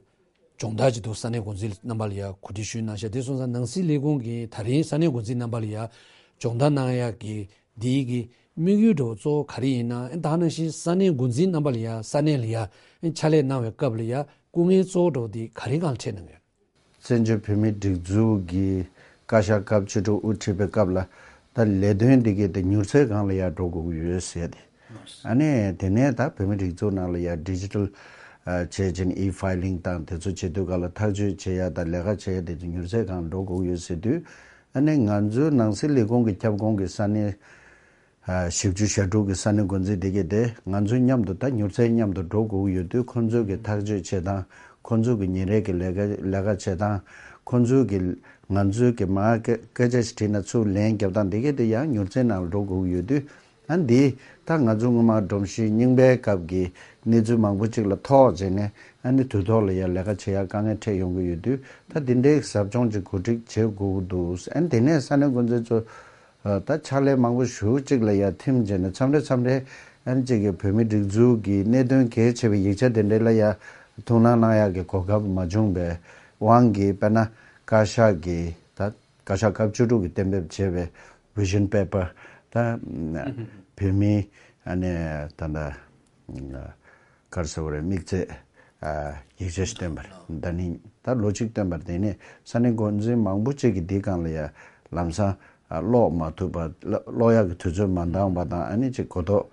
སྦྱོང་བརྡར་ཅིག་འདུག་ས་གནས་འགོ་འཛིན་རྣམ་པ་ལ་ཡ་གོ་སྒྲིག་ཞུས་གནང་ཤག་དེ་སོང་ཙང་ནང་སྲིད་ལས་ཁུངས་ཀྱིས་ད་རིང་ས་གནས་འགོ་འཛིན་རྣམ་པ་ལ་ཡ་སྦྱོང་བརྡར་གནང་ཡག་གི་འདིའི་གི་དམིགས་ཡུལ་འདྲ་བོ་གཙོ་བོ་ག་རེ་ཡིན་ན། ཨ་ནི་ད་ནང་བཞིན་ས་གནས་འགོ་འཛིན་རྣམ་པ་ལ་ཡ་ས་གནས་ལ་ཡ་ཨ་ནི་ཕྱག་ལས་གནང་བའི་སྐབས་ལ་ཡ་སྐུ་ངལ་གཙོ་བོ་འདྲ་བོ་དེ་ག་རེ་སྒང་ལ་འཕྲད་གནང་ཡོད། བཙན་བྱོལ་བོད་མིའི་སྒྲིག་འཛུགས་ཀྱི་བཀའ་ཤག་སྐབས་བཅུ་དྲུག་དབུ་ཁྲིད་པའི་སྐབས་ལ་ད་ལས་དོན་འདི་གའི་དེ་མྱུར་ཚད་སྒང་ལ་ཡར་འགྲོ་དགོས་ཀྱི་ཡོད་ཟེར་ཏེ། ཨ་ནི་དེ་ནས་ད་བོད་མིའི་སྒྲིག་འཛུགས་ནང་ལ་ཡར་ཌི་ཇི་ཊལ་བྱས་ཅིང་ཨི་ཕའི་ལིང་དང་དེ་ཚོ་བྱེད་དུས་སྒང་ལ་ཐག་གཅོད་བྱེད་ཡ་དང་ལས་ཀ་བྱེད་ཡ་དེ་ཚོ་མྱུར་ཚད་སྒང་འགྲོ་དགོས་ཀྱི་ཡོད་ཟེར་དུས། ཨ་ནི་ང་ཚོའི་ནང་སྲིད་ལས་ཁུངས་ཀྱི་ཁྱབ་ཁོངས་ཀྱི་ས་གནས། བཞི་བཅུ་ཞེ་དྲུག་གི་ས་གནས་འགོ་འཛིན་དེ་གས་དེ་ང་ཚོའི་མཉམ་དུ་ད་མྱུར་ཚད་མཉམ་དུ་འགྲོ་དགོས་ཀྱི་ཡོད་དུས། ཁོང་ཚོའི་གི་ཐག་གཅོད་བྱེད་སྟངས། ཁོང་ཚོའི་གི་ཉིན་རེ་གི་ལས་ཀ་ལས་ཀ་བྱེད་སྟངས། ཁོང་ཚོའི་གི་ང་ཚོའི་གི་མར་སྐད་སྐད་ཆ་ཞིག་དྲིས་ན་ཚུར་ལན་རྒྱབ་སྟངས་དེ་གས་དེ་ཡང་མྱུར་ཚད་ནང་ལ་འགྲོ་དགོས་ཀྱི་ཡོད་དུས། ཨ་འདི་ད་ང་ཚོ་སྔོན་མ་སྒྲོམ་གཞི་རྙིང་པའི་སྐབས་ཀྱི་གནས་ཚུལ་མང་པོ་ཅིག་ལ་ཐོགས་བྱས་ནས། ཨ་ནི་དུས་ཐོག་ལ་ཡང་ལས་ཀ་བྱེད་ཡ་དཀའ་ངལ་འཕྲད་ཡོང་གི་ཡོད་དུས། ད་འདི་འདྲའི་ཟབ་སྦྱོང་ཅིག་གོ་སྒྲིག་བྱེད་དགོས་ཀྱི་འདུག་ཨ་ནི་དེ་ནས་ས་གནས་འགོ་འཛིན་ཚོ། ད་ཕྱག་ལས་མང་པོ་ཞེ་པོ་ཅིག་ལ་ཡ་ཐིམ་བྱས་ནས་མཚམས་རེ་མཚམས་རེ་ཨ་ནི་ཅིག་གི་བོད་མིའི་སྒྲིག་འཛུགས་ཀྱི་གནད་དོན་གལ་ཆེ་བའི་ཡིག་ཆ་དེ་འདྲ་ལ་ཡ་ཐུགས་སྣང་གནང་ཡག་གི་གོ་སྐབས་མ་བྱུང་བའི་དབང་གིས། དཔེར་ན་བཀའ་ཤག་གིས་ད་བཀའ་ཤག་སྐབས་བཅུ་དྲུག་གིས་གཏན་འབེབས་བྱས་པའི་བི་ཤན་པེ་པར། ད་བོད་མིའི་ཨ་ནི་ད་ལྟ། ག་རེ་ཟེར་བ་རེད། དམིགས་ཚད་ཡིག་ཆ་ཞིག་བཏོན་པ་རེད། ད་ནི་ད་ལོ་གཅིག་བཏོན་པ་རེད། དེ་ནས་ས་གནས་འགོ་འཛིན་མང་པོ་ཅིག་གིས་འདིའི་སྒང་ལ་ཡ་ལམ་སང་ཀློག་མ་ཐུབ་པ། ཀློག་ཡག་གི་དུས་ཚོད་མ་འདང་བ་དང་། ཨ་ནི་ཅིག་གོ་རྟོགས་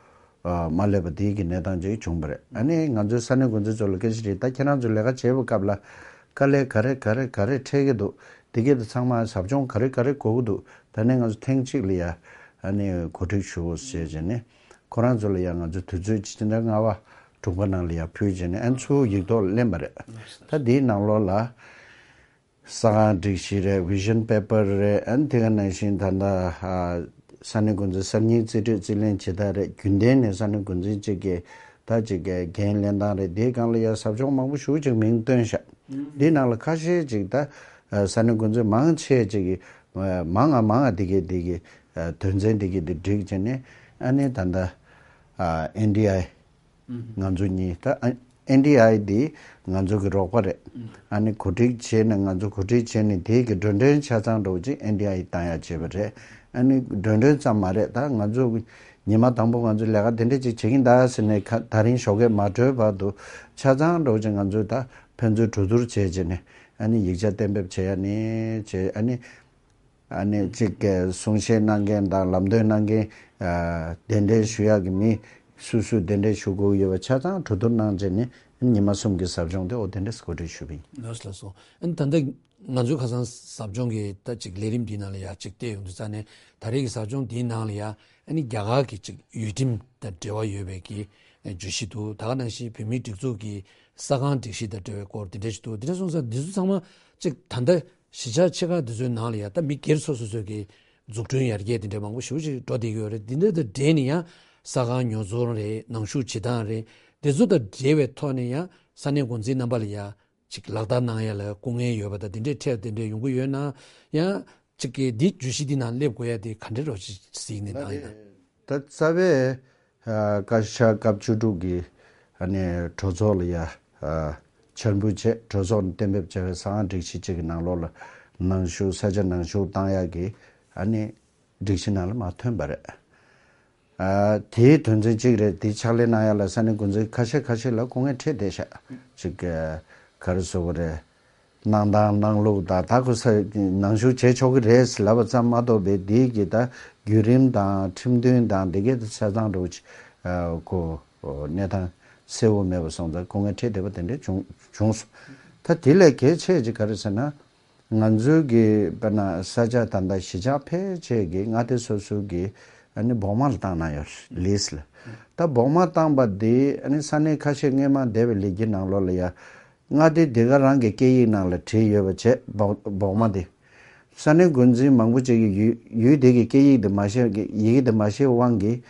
མ་སླེབས་པ་དེའི་གི་གནས་སྟངས་ཅིག་བྱུང་བ་རེད། ཨ་ནི་ང་ཚོའི་ས་གནས་འགོ་འཛིན་ཚོ་ལ་སྐད་ཆ་དྲིས། ད་ཁྱེད་རང་ཚོ་ལས་ཀ་བྱེད་པའི་སྐབས་ལ་དཀའ་ལས་ག་རེ་ག་རེ་ག་རེ་འཕྲད་ཀྱི་འདུག་དེ་གས་དེ་ཚང་མ་ཟབ་སྦྱོང་ག་རེ་ག་རེ་དགོས་ཀྱི་འདུག་ད་ནི་ང་ཚོ་ཐེངས་གཅིག་ལ་ཡ་ཨ་ནི་གོ་སྒྲིག་ཞུ་ཟེར་བྱས་ནས། ཁོ་རང་ཚོ་ལ་ཡང་ང་ཚོ་དུས་ཚོད་ཅིག་ཅི་འདྲ་སྔ་བ་དྲུག་པ་ནང་ལ་ཡང་ཕུལ་བྱས་ནས། ཨ་ནི་ཚུར་ཡིག་ཐོག་ལ་ལེན་པ་རེད། ད་འདིའི་ནང་ལོགས་ལ་ས་ཁང་སྒྲིག་གཞི་རེད། བི་ཤན་པེ་པར་རེད། ཨ་ནི་དེ་ག་ནང་བཞིན་ད་ལྟ་ས་གནས་འགོ་འཛིན་གསར་རྙིང་རྩིས་སྤྲོད་རྩིས་ལེན་བྱེད་སྟངས་རེད། རྒྱུན་ལྡན་ནས་ས་གནས་འགོ་འཛིན་གཅིག་གིས་ད་ཅིག་འགན་ལེན་སྟངས་རེད། དེའི་སྒང་ལ་ཡང་ཟབ་སྦྱོང་མང་པོ་ཞེ་པོ་ཅིག་མིང་བཏོན་ཤག་འདིའི་ནང་ལ་ཁ་ཤས་ཅིག་ད་ས་གནས་འགོ་འཛིན་མང་ཆེ་ཅིག་གིས་མང་ང་མང་ང་དེ་གའི་དེ་གའི་དོན་ཚན་དེ་གའི་དེ་སྒྲིག་བྱས་ནས། ཨ་ནི་ད་ལྟ་ཨེན་ཌི་ཨའི་ང་ཚོ་གཉིས། ད་ཨེན་ཌི་ཨའི་འདི་ང་ཚོ་གི་རོགས་པ་རེད། ཨ་ནི་གོ་སྒྲིག་བྱས་ནས། ང་ཚོ་གོ་སྒྲིག་བྱས་ནས་དེའི་གི་འགྲོ་གྲོན་ཆ་ཚང་འདྲ་བོ་ཅིག་ཨེན་ཌི་ཨའི་བཏང་ཡ་བྱས་པ་རེད། ཨ་ནི་འགྲོ་གྲོན་ཙམ་མ་རེད། ད་ང་ཚོ་ཉི་མ་དང་པོ་ང་ཚོ་ལས་ཀ་དེ་འདྲ་ཅིག་བྱེད་ཀྱིན་གདའ་ཟེར་ནས་ཁ་ད་རིང་ཞོགས་ཀས་མ་གྲོལ་བར་དུ་ཆ་ཚང་འདྲ་བོ་ཅིག་ང་ཚོས་ད་ཕན་ཚུན་གྲོས་བསྡུར་བྱས་བྱས་ནས། ཨ་ནི་ཡིག་ཆ་གཏན་འབེབས་བྱས་ཡ་ནས་བྱས། ཨ་ནི། ཨ་ནི་གཅིག་གི་གསུང་བཤད་གནང་མཁན་དང་ལམ་སྟོན་གནང་མཁན། ཨ་གདན་འདྲེན་ཞུ་ཡག་གི་མི་སུ་སུ་གདན་འདྲེན་ཞུ་དགོས་ཡོད་པ་ཆ་ཚང་གྲོས་བསྡུར་གནང་བྱས་ནས། ཉི་མ་གསུམ་གྱི་ཟབ་སྦྱོང་དེ་འོ་དེ་འདྲས་གོ་སྒྲིག་ཞུས་པ་ཡིན། ལགས་སོ། ལགས་སོ། ཨ་ནི་ད་ལྟ་ང་ཚོའི་ཁ་སང་ཟབ་སྦྱོང་གི་ད་ཅིག་ལས་རིམ་འདིའི་ནང་ལ་ཡ་ཅིག་བལྟས་ཡོང་དུས་ཙ་ནས། ད་རེས་ཀྱི་ཟབ་སྦྱོང་འདིའི་ནང་ལ་ཡ་ཨ་ནི་རྒྱ་གར་གྱི་ཅིག་ཡུལ་ཁྲིམས་དང་འབྲེལ་བ་ཡོད་པའི་གི་བརྗོད་གཞི་འདུག་ད་ག་ནང་བཞིན་བོད་མིའི་སྒྲིག་འཛུགས་ཀྱི་ས་ཁང་སྒྲིག་གཞི་དང་འབྲེལ་བའི་སྐོར་དེ་འདྲས་ཞིག་འདུག་དེ་འདྲ་སོང་ཙང་འདི་ཚོ་ཚང་མ་ཅིག་ད་ལྟ་གཞིས་ཆགས་ཆེ་ཁག་འདི་ཚོའི་ནང་ལ་ཡ་ད་མི་སྒེར་སོ་སོ་སོ་གི་འཛུགས་སྐྲུན་ཡར་རྒྱས་དེ་འདྲ་མང་པོ་ཞེ་པོ་ཅིག་འགྲོ་བསྡད་ཀྱི་ཡོད་རེད། འདི་འདྲ་དང་འབྲེལ་ནས་ཡང་ས་ཁང་ཉོ་ཚོང་རེད། ནང་བཞུགས་བྱེད་སྟངས་རེད། དེ་ཚོ་དང་འབྲེལ་བའི་ཐོག་ནས་ཡང་ས་གནས་འགོ་འཛིན་རྣམ་པ་ལ་ཡ་ཅིག་ལག་བསྟར་གནང་ཡ་ལ་སྐུ་ངལ་ཡོད་པ་དང་། དེ་འདྲའི་འཕྲད་དེ་འདྲ་ཡོང་གི་ཡོད་ན་ཡང་། ཅིག་གི་འདི་བརྗོད་གཞི་འདི་ནང་སླེབས་དགོས་ཡ་དེ་ག་འདྲ་རོ་ཅིག་གཟིགས་ནས་གནང་ཡིན་ན། ད་རྩ་བའི་ཨ་བཀའ་ཤག་སྐབས་བཅུ་དྲུག་གི་ཨ་ནི་གྲོས་ཚོགས་ལ་ཡ་ཨ་འཆར་འབུལ་བྱས། གྲོས་ཚོགས་ནས་གཏན་འབེབས་བྱས་པའི་ས་ཁང་སྒྲིག་གཞི་གཅིག་གི་ནང་ལོགས་ལ་ནང་བཞུགས། ས་ཆ་ནང་བཞུགས་བཏང་ཡག་གི་ཨ་ནི་སྒྲིག་གཞི་ནང་ལ་མར་ཐོན་པ་རེད། ཨ་དེའི་དོན་ཚན་གཅིག་རེད། དེ་ཕྱག་ལས་གནང་ཡག་ལ་ས་གནས་འགོ་འཛིན་ཁ་ཤས་ཁ་ཤས་ལ་སྐུ་ངལ་འཕྲད་བསྡད་ཤག་ཅིག་ག་རེ་ཟེར་དགོས་རེད། གནང་སྟངས་གནང་ལུགས་དང་། ད་ཁོ་ས་ནང་བཞུགས་བྱེད་ཆོག་གི་རེད་ལབ་པ་ཙམ་མ་གཏོགས་པའི་དེའི་གི་ད་བརྒྱུད་རིམ་དང་ཁྲིམས་མཐུན་དང་དེ་གའི་ཆ་ཚང་འདྲ་བོ་ཅིག་ཨ་ཁོ་གནས་སྟངས་གསལ་བོ་མེད་པ་སོང་ཙང་སྐུ་ངལ་འཕྲད་བསྡད་པ་དེ་འདྲ་བྱུང་བྱུང་སོང་། ད་དེ་ལས་གལ་ཆེ་ཅིག་ག་རེ་ཟེར་ན། ང་ཚོའི་གི་དཔེར་ན་ས་ཆ་ད་ལྟ་གཞིས་ཆགས་ཕལ་ཆེར་གི་མངའ་སྡེ་སོ་སོའི་གི་ཨ་ནི་བོགས་མ་ལ་བཏང་གནང་ཡོད་རེད། ལིས་ལ། ད་བོགས་མ་བཏང་པ་དེ་ཨ་ནི་ས་གནས་ཁ་ཤས་སྔོན་མ་འདས་པའི་ལས་འགུལ་ནང་ལོགས་ལ་ཡ། མངའ་སྡེ་དེ་ག་རང་གི་སྐད་ཡིག་ནང་ལ་བྲིས་ཡོད་པ་བྱས་བོགས་བོགས་མ་དེ། ས་གནས་འགོ་འཛིན་མང་པོ་ཅིག་གིས་ཡུལ་ཡུལ་དེ་གི་སྐད་ཡིག་དེ་མ་ཤེས་ཀྱི་ཡི་གེ་དེ་མ་ཤེས་དབང་གིས།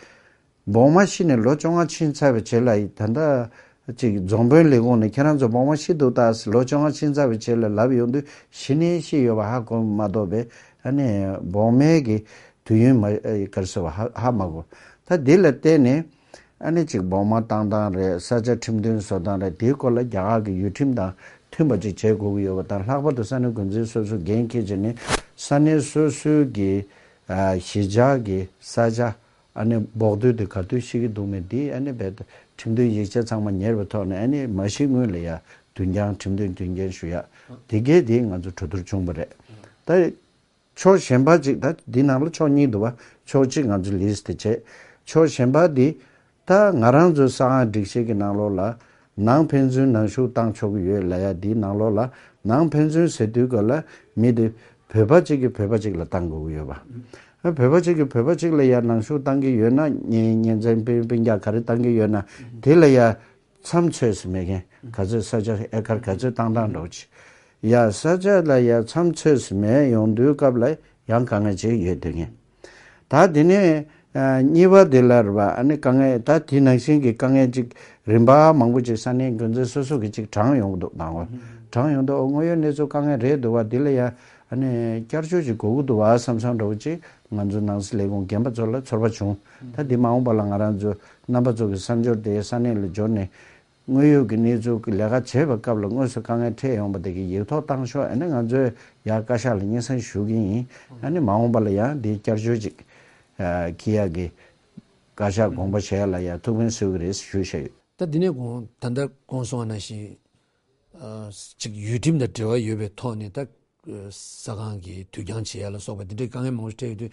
བོགས་མ་ཤི་ནས་ལོ་བཅོ་ལྔ་ཕྱིན་ཚར་བའི་རྗེས་ལ་ད་ལྟ་ཅིག་རྫོང་དཔོན་ལས་ཁུངས་ནས་ཁྱེད་རང་ཚོ་བོགས་མ་ཤི་འདུག་ད་ལོ་བཅོ་ལྔ་ཕྱིན་ཚར་བའི་རྗེས་ལ་ལབ་ཡོང་དུས་ཤི་ནས་ཤི་ཡོད་པ་ཧ་གོ་མ་གཏོགས་པའི་ཨ་ནི་བོགས་མའི་གི་དུས་ཡུན་མ་ཨ་ག་རེ་ཟེར་བ་ཧ་ཧ་མ་གོ། ད་འདི་ལ་བརྟེན་ནས་ཨ་ནི་ཅིག་བོགས་མ་བཏང་སྟངས་རེད། ས་ཆ་ཁྲིམས་མཐུན་བཟོ་སྟངས་རེད། དེའི་སྐོར་ལ་རྒྱ་གར་གི་ཡུལ་ཁྲིམས་དང་མཐུན་པ་ཅིག་བྱེད་དགོས་ཀྱི་ཡོད་པ་དང་། ལྷག་པར་དུ་ས་གནས་འགོ་འཛིན་སོ་སོ་འགན་འཁྱེར་བྱས་ནས་ས་གནས་སོ་སོའི་གི་ཨ་གཞིས་ཆགས་ཀྱི་ས་ཆ་ཨ་ནི་བོགས་དུས་དེ་ག་དུས་ཤི་གི་འདུག་མེད་དེ་ཨ་ནི་རྦད་དེ་ཁྲིམས་མཐུན་ཡིག་ཆ་ཚང་མ་ཉར་བའི་ཐོག་ནས་ཨ་ནི་མ་ཤི་སྔོན་ལ་ཡ་དུས་འགྱངས་ཁྲིམས་མཐུན་དོན་རྐྱེན་ཞུ་ཡ་དེ་གས་དེ་ང་ཚོ་གྲོས་བསྡུར་བྱུང་བ་རེད། ད་ཕྱོགས་གཞན་པ་ཅིག་ད་འདི་ནང་ལ་ཕྱོགས་གཉིས་འདུག་བ། ཕྱོགས་གཅིག་ང་ཚོ་ལིས་དེ་བྱས། ཕྱོགས་གཞན་པ་འདི་ད་ང་རང་ཚོའི་ས་ཨང་སྒྲིག་གཞི་གི་ནང་ལོགས་ལ་ནང་ཕན་ཚུན་ནང་ཞུགས་བཏང་ཆོག་གི་ཡོད་ལབ་ཡ་འདིའི་ནང་ལོགས་ལ་ནང་ཕན་ཚུན་ཟེར་དུས་ག་ལ་མི་དེ་བོད་པ་གཅིག་གིས་བོད་པ་གཅིག་ལ་བཏང་དགོས་ཀྱི་ཡོད་པ། ཨ་བོད་པ་གཅིག་གིས་བོད་པ་གཅིག་ལ་ཡ་ནང་ཞུགས་བཏང་གི་ཡོད་ན་གཉེན་གཉེན་ཚན་སྤུན་སྤུན་ཀྱག་ག་རེ་བཏང་གི་ཡོད་ན་དེ་ལ་ཡ། མཚམས་ཚོད་ཟིན་མེད་མཁན་ག་ཚོད་ས་ཆ་ཨེ་ཀར་ག་ཚོད་བཏང་སྟངས་འདྲ་བོ་ཅིག་ཡ་ས་ཆ་ལ་ཡ་མཚམས་ཚོད་ཟིན་མེད་ཡོང་དུས་སྐབས་ལ་ཡང་དཀའ་ངལ་ཅིག་ཡོད་དེ་ངེས། ད་དེ་ནས་ཨ་གཉིས་པ་དེ་ལ་རེད་པ། ཨ་ནི་དཀའ་ངལ་ད་དེ་ནང་བཞིན་གྱི་དཀའ་ངལ་ཅིག་རིམ་པ་མང་པོ་ཅིག་ས་གནས་འགོ་འཛིན་སོ་སོ་གི་ཅིག་དྲངས་ཡོང་གི་འདུག་དང་པོ་དྲངས་ཡོང་དུས་ཨོ་དངོས་ཡོད་གནས་ཚུལ་དཀའ་ངལ་རེད་འདུག་བ། དེ་ལ་ཡ་ཨ་ནི་བསྐྱར་བཅོས་ཅིག་དགོས་ཀྱི་འདུག་བ་བསམ་བསམ་འདྲ་བོ་ཅིག་ང་ཚོ་ནང་སྲིད་ལས་ཁུངས་རྒན་པ་ཚོ་ལ་ཚོར་བ་བྱུང་། ད་འདི་མ་འོངས་པ་ལ་ང་རང་ཚོ་རྣམ་པ་ཚོ་གི་བསམ་སྦྱོར་དེ་ས་གནས་ལ་འབྱོར་ནས། དངོས་ཡོད་ཀྱི་གནས་ཚུལ་གྱི་ལས་ཀ་བྱེད་པའི་སྐབས་ལ་དངོས་སུ་དཀའ་ངལ་འཕྲད་ཡོང་བ་དེ་གི་ཡིག་ཐོག་བཏང་ཤོག་ཨ་ནི་ང་ཚོས་ཡར་བཀའ་ཤག་ལ་སྙན་སེང་ཞུ་གི་ཡིན། ཨ་ནི་མ་འོངས་པ་ལ་ཡང་འདི་བསྐྱར་བཅོས་ཅིག་ཨ་འཁྱེར་ཡག་གི་བཀའ་ཤག་དགོངས་པ་བཞེས་ཡག་ལ་ཡང་ཐུགས་ཕན་གསོས་ཀྱི་རེད་ཞུས་བཞག་ཡོད། ད་འདི་ནས་དགོངས་ད་ལྟ་དགོངས་སོང་བ་ནང་བཞིན། ཨ་ཅིག་ཡུལ་ཁྲིམས་དང་འབྲེལ་བ་ཡོད་པའི་ཐོག་ནས་ད་ས་ཁང་གི་དུས་འགྱངས་བྱེད་ཡ་ལ་སོགས་པ་འདི་འདྲའི་དཀའ་ངལ་མང་པོ་འཕྲད་ཡོད་དུས།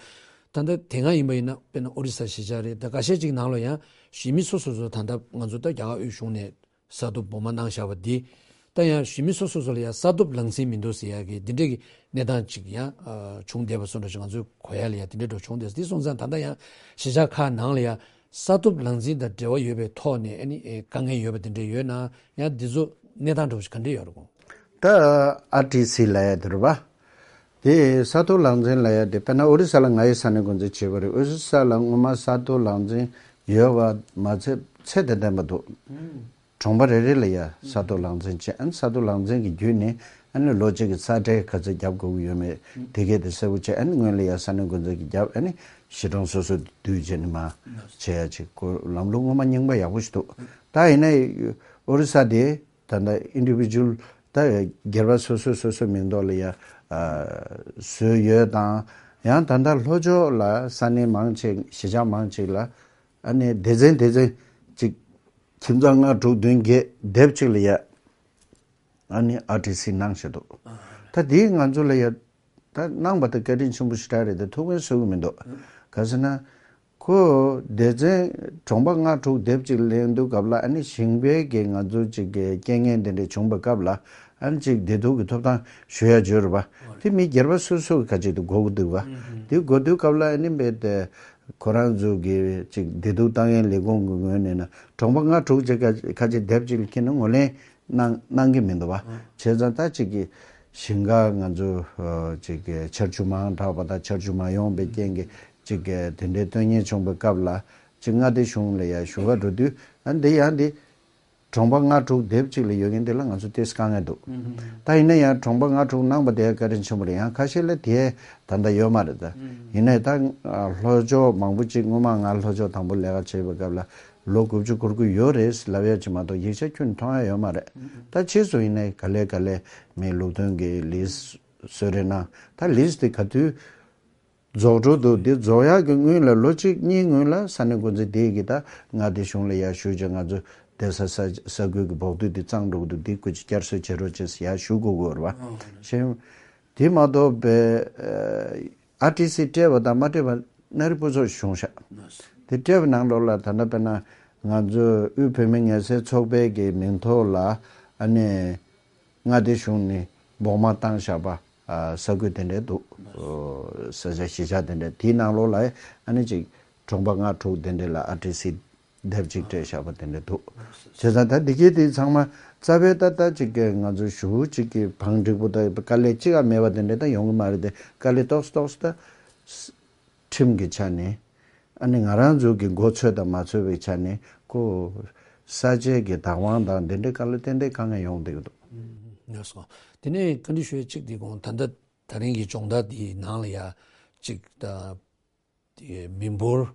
ད་ལྟ་དེ་སྔ་ཡིན་པ་ཡིན་ན་དཔེར་ན་ཨོ་རི་ས་གཞིས་ཆགས་རེད། ད་འགའ་ཤས་ཅིག་ནང་ལ་ཡང་གཞིས་མི་སོ་སོ་སོ་ད་ལྟ་ང་ཚོ་ད་རྒྱ་གར་དབུས་གཞུང་ནས་ས་ཐོབ་བོགས་མ་གནང་བཞག་པ་འདི་ད་ཡང་གཞིས་མི་སོ་སོ་སོ་ལ་ཡང་ས་ཐོབ་ལག་འཛིན་མི་འདུག་ཟེར་ཡ་གི་འདི་འདྲའི་གི་གནས་སྟངས་ཅིག་ཡང་ཨ་བྱུང་བསྡད་པ་སོགས་འདྲ་ཞིག་ང་ཚོའི་གོ་ཡ་ལ་ཡང་དེ་འདྲའི་འགྲོ་བྱུང་བསྡད། འདི་སོང་ཙང་ད་ལྟ་ཡང་གཞིས་ཆགས་ཁག་ནང་ལ་ཡང་ས་ཐོབ་ལག་འཛིན་དང་འབྲེལ་བ་ཡོད་པའི་ཐོག་ནས་ཨ་ནི་ཨེ་དཀའ་ངལ་ཡོད་པ་དེ་འདྲ་ཡོད་ན་ཡང་འདི་ཚོ་གནས་སྟངས་འདྲ་བོ་ཞིག་ག་འདྲ་ཡོད་རེད་གོ། ད་ཨར་ཊི་སི་ལབ་ཡ་དེ་རེད་པ། དེ་ས་ཐོབ་ལག་འཛིན་ལབ་ཡ་དེ་དཔེར་ན་ཨོ་རི་ས་ལ་ང་ཡི་ས་གནས་འགོ་འཛིན་བྱས་པ་རེད། ཨོ་རི་ས་ལ་སྔོན་མ་ས་ཐོབ་ལག་འཛིན་ཡོད་པ་མ་ཚད་ཚད་དང་ལྡན་པ་འདུག་གྲོང་པ་རེ་རེ་ལ་ཡ་ས་ཐོབ་ལག་འཛིན་བྱས། ཨ་ནི་ས་ཐོབ་ལག་འཛིན་གྱི་བརྒྱུད་ནས་ཨ་ནི་ལོ་གཅིག་གི་ས་ཁྲལ་ག་ཚོད་རྒྱབ་དགོས་ཀྱི་ཡོད་མེད་དེ་གས་དེ་གསལ་པོ་བྱས། ཨ་ནི་སྔོན་ལ་ཡ་ས་གནས་འགོ་འཛིན་གྱིས་བརྒྱབ། ཨ་ནི་གཞིས་གྲོང་སོ་སོ་བསྡུས་བྱས་ནས་མར་བྱེད་ཡ་ཅིག་ཁོ་ལམ་ལུགས་སྔོན་མ་རྙིང་པ་ཡག་པོ་ཞིག་འདུག་ད་ཡིན་ན་ཨོ་རི་ས་དེ་ད་ལྟ་ཨིན་ཌི་བི་ཇུ་ཨལ་ད་སྒེར་པ་སོ་སོ་སོ་སོའི་མིང་ཐོག་ལ་ཡ་ཨ་བཟོས་ཡོད་དང་། ཡང་ད་ལྟ་ལྷོ་ཕྱོགས་ལ་ས་གནས་མང་ཆེ་གཞིས་ཆགས་མང་ཆེ་ལ་ཨ་ནི་སྡེ་ཚན་སྡེ་ཚན་ཅིག་ཁྱིམ་ཚང་ལྔ་དྲུག་བདུན་བརྒྱད་སྡེབ་གཅིག་ལ་ཡ་ཨ་ནི་ཨར་ཊི་སི་གནང་བཞག་འདུག་ད་དེའི་ང་ཚོ་ལ་ཡ་ད་གནང་པ་དེ་བཀའ་དྲིན་ཆེན་པོ་ཞེ་དྲག་རེད། དེ་ཐུགས་ཕན་གསོས་ཀྱི་མི་འདུག་ག་ཟེར་ན། ཁོ་སྡེ་ཚན་གྲོང་པ་ལྔ་དྲུག་སྡེབ་གཅིག་ལེན་དུས་སྐབས་ལ་ཨ་ནི་ཞིང་པའི་གི་ང་ཚོ་ཅིག་གི་རྐྱེན་ངན་དེ་འདྲ་བྱུང་བའི་སྐབས་ལ་ཨ་ནི་ཅིག་བདེ་སྡུག་གི་ཐོབ་ཐང་ཞུ་ཡ་བརྗོད་རེད་པ། དེ་མི་སྒེར་པ་སོ་སོ་གི་ཁ་ཅིག་ཏུ་དགོས་ཀྱི་འདུག་བ། དེ་དགོས་དུས་སྐབས་ལ་ཨ་ནི་རྦད་དེ་ཁོ་རང་ཚོ་གི་ཅིག་བདེ་སྡུག་ལྟ་མཁན་ལས་ཁུངས་ཀྱི་ངོས་ནས་ན་གྲོང་པ་ལྔ་དྲུག་ཅིག་ཁ་ཁ་ཅིག་སྡེབ་གཅིག་ལ་ཁྱེར་ན་ངོས་ལེན་གནང་གནང་གི་མི་འདུག་བ། བྱས་ཙང་ད་ཅིག་གི་ཞིང་ཁ་ང་ཚོ་ཨ་ཅིག་གི་ཆར་ཆུ་མང་དྲགས་པ་དང་ཆར་ཆུ་མ་ཡོང་པའི་རྐྱེན་གྱིས་ཅིག་གི་དེ་འདྲའི་དོན་རྐྱེན་བྱུང་བའི་སྐབས་ལ་ཅིག་མངའ་སྡེ་གཞུང་ལ་ཡ་ཞུ་ག་འགྲོ་དུས་ཨ་འདི་ཡང་འདི་གྲོང་པ་ལྔ་དྲུག་སྡེབ་གཅིག་ལ་ཡོད་མཁན་དེ་ལ་ང་ཚོ་ཏོག་ཙམ་དཀའ་ངལ་འདུག་ད་ཡིན་ན་ཡང་གྲོང་པ་ལྔ་དྲུག་གནང་པ་དེ་བཀའ་དྲིན་ཆེན་པོ་རེད། ཡང་ཁ་ཤས་ལ་དེ་ད་ལྟ་ཡོད་མ་རེད་ད། ཡིན་ནའི་ད་ལྷོ་ཕྱོགས་མང་པོ་ཅིག་སྔོན་མ་ང་ལྷོ་ཕྱོགས་དང་པོ་ལས་ཀ་བྱེད་པའི་སྐབས་ལ་ལོ་དགུ་བཅུ་འཁོར་གྱི་ཡོད་རེད་ལབ་ཡ་ཅིག་མ་གཏོགས་ཡིག་ཆ་ཁྱོན་མཐོང་ཡ་ཡོད་མ་རེད། ད་ཕྱིས་སུ་ཡིན་ནའི་ག་ལེ་ག་ལེ་མི་ལུགས་མཐུན་གྱི་ལིས་བཟོས་རེད་ན་ད་ལིས་དེ་ག་དུས་རྫོགས་འགྲོ་འདུག་འདི་རྫོགས་ཡག་གི་སྔོན་ལ་ལོ་གཅིག་གཉིས་སྔོན་ལ་ས་གནས་འགོ་འཛིན་དེ་གིས་ད་མངའ་སྡེ་གཞུང་ལ་ཡར་ཞུས་བྱས་ང་ཚོ་བསྡད་ས་ས་ས་ཁུལ་གྱི་བོགས་དུད་དེ་གཙང་འགྲོ་གི་འདུག་འདི་སྐུ་མཁྱེན་བསྐྱར་གསོ་བྱེད་རོགས་བྱེད་ཟེར་ཡར་ཞུ་དགོས་ཀྱི་ཡོད་རེད་བ། ཤེས། དེ་མ་གཏོགས་པའི་ཨར་ཊི་སི་སྤྲད་པ་དང་མ་སྤྲད་པ་སྣ་རིགས་པོ་ཚོ་བྱུང་ཤག་དེ་སྤྲད་པའི་ནང་ལོགས་ལ་ད་ལྟ་དཔེར་ན་ང་ཚོ་དབུས་བོད་མི་ངལ་སེལ་ཚོགས་པའི་གི་མིང་ཐོག་ལ་ཨ་ནི། མངའ་སྡེ་གཞུང་ནས་སྦོང་མ་བཏང་བཞག་པ་ས་ཁུལ་དེ་འདྲས་འདུག། ས་ཆ་གཞིས་ཆགས་དེ་འདྲས་དེའི་ནང་ལོགས་ལ་ཨ་ནི་ཅིག་གྲོང་པ་ལྔ་དྲུག་དེ་འདྲས་ལ་ཨར་ཊི་སི་དེབ་ཅིག་སྤྲད་བཞག་པ་དེ་འདྲས་འདུག། བྱས་ཙང་ད་འདི་གའི་དེ་ཚང་མ་རྩ་བའི་ད་ལྟ་ཅིག་གི་ང་ཚོ་ཞུ་ཅིག་གི་བང་འགྲིག་པོ་ད་དཀའ་ལས་ཅིག་ཨ་མེད་པ་དེ་འདྲས་ད་ཡོང་གི་མ་རེད་དེ། དཀའ་ལས་ཏོག་ཙམ་ཏོག་ཙམ་ད། ཁྲིམས་ཀྱི་ཆ་ནས། ཨ་ནི་ང་རང་ཚོ་གི་མགོ་ཚོས་དང་མ་ཚོས་པའི་ཆ་ནས་ཁོ་ས་ཆའི་གི་བདག་དབང་དང་འདི་འདྲའི་དཀའ་ལས་ཏན་ཏན་དཀའ་ངལ་ཡོང་བསྡད་ཀྱི་འདུག། ལགས་སོ། དེ་ནས་བཀའ་འདྲི་ཞུ་ཡ་གཅིག་དེ་གོང་ད་ལྟ་ད་རིང་གི་སྦྱོང་བརྡར་དེའི་ནང་ལ་ཡ་གཅིག་ད་དེ་མི་འབོར་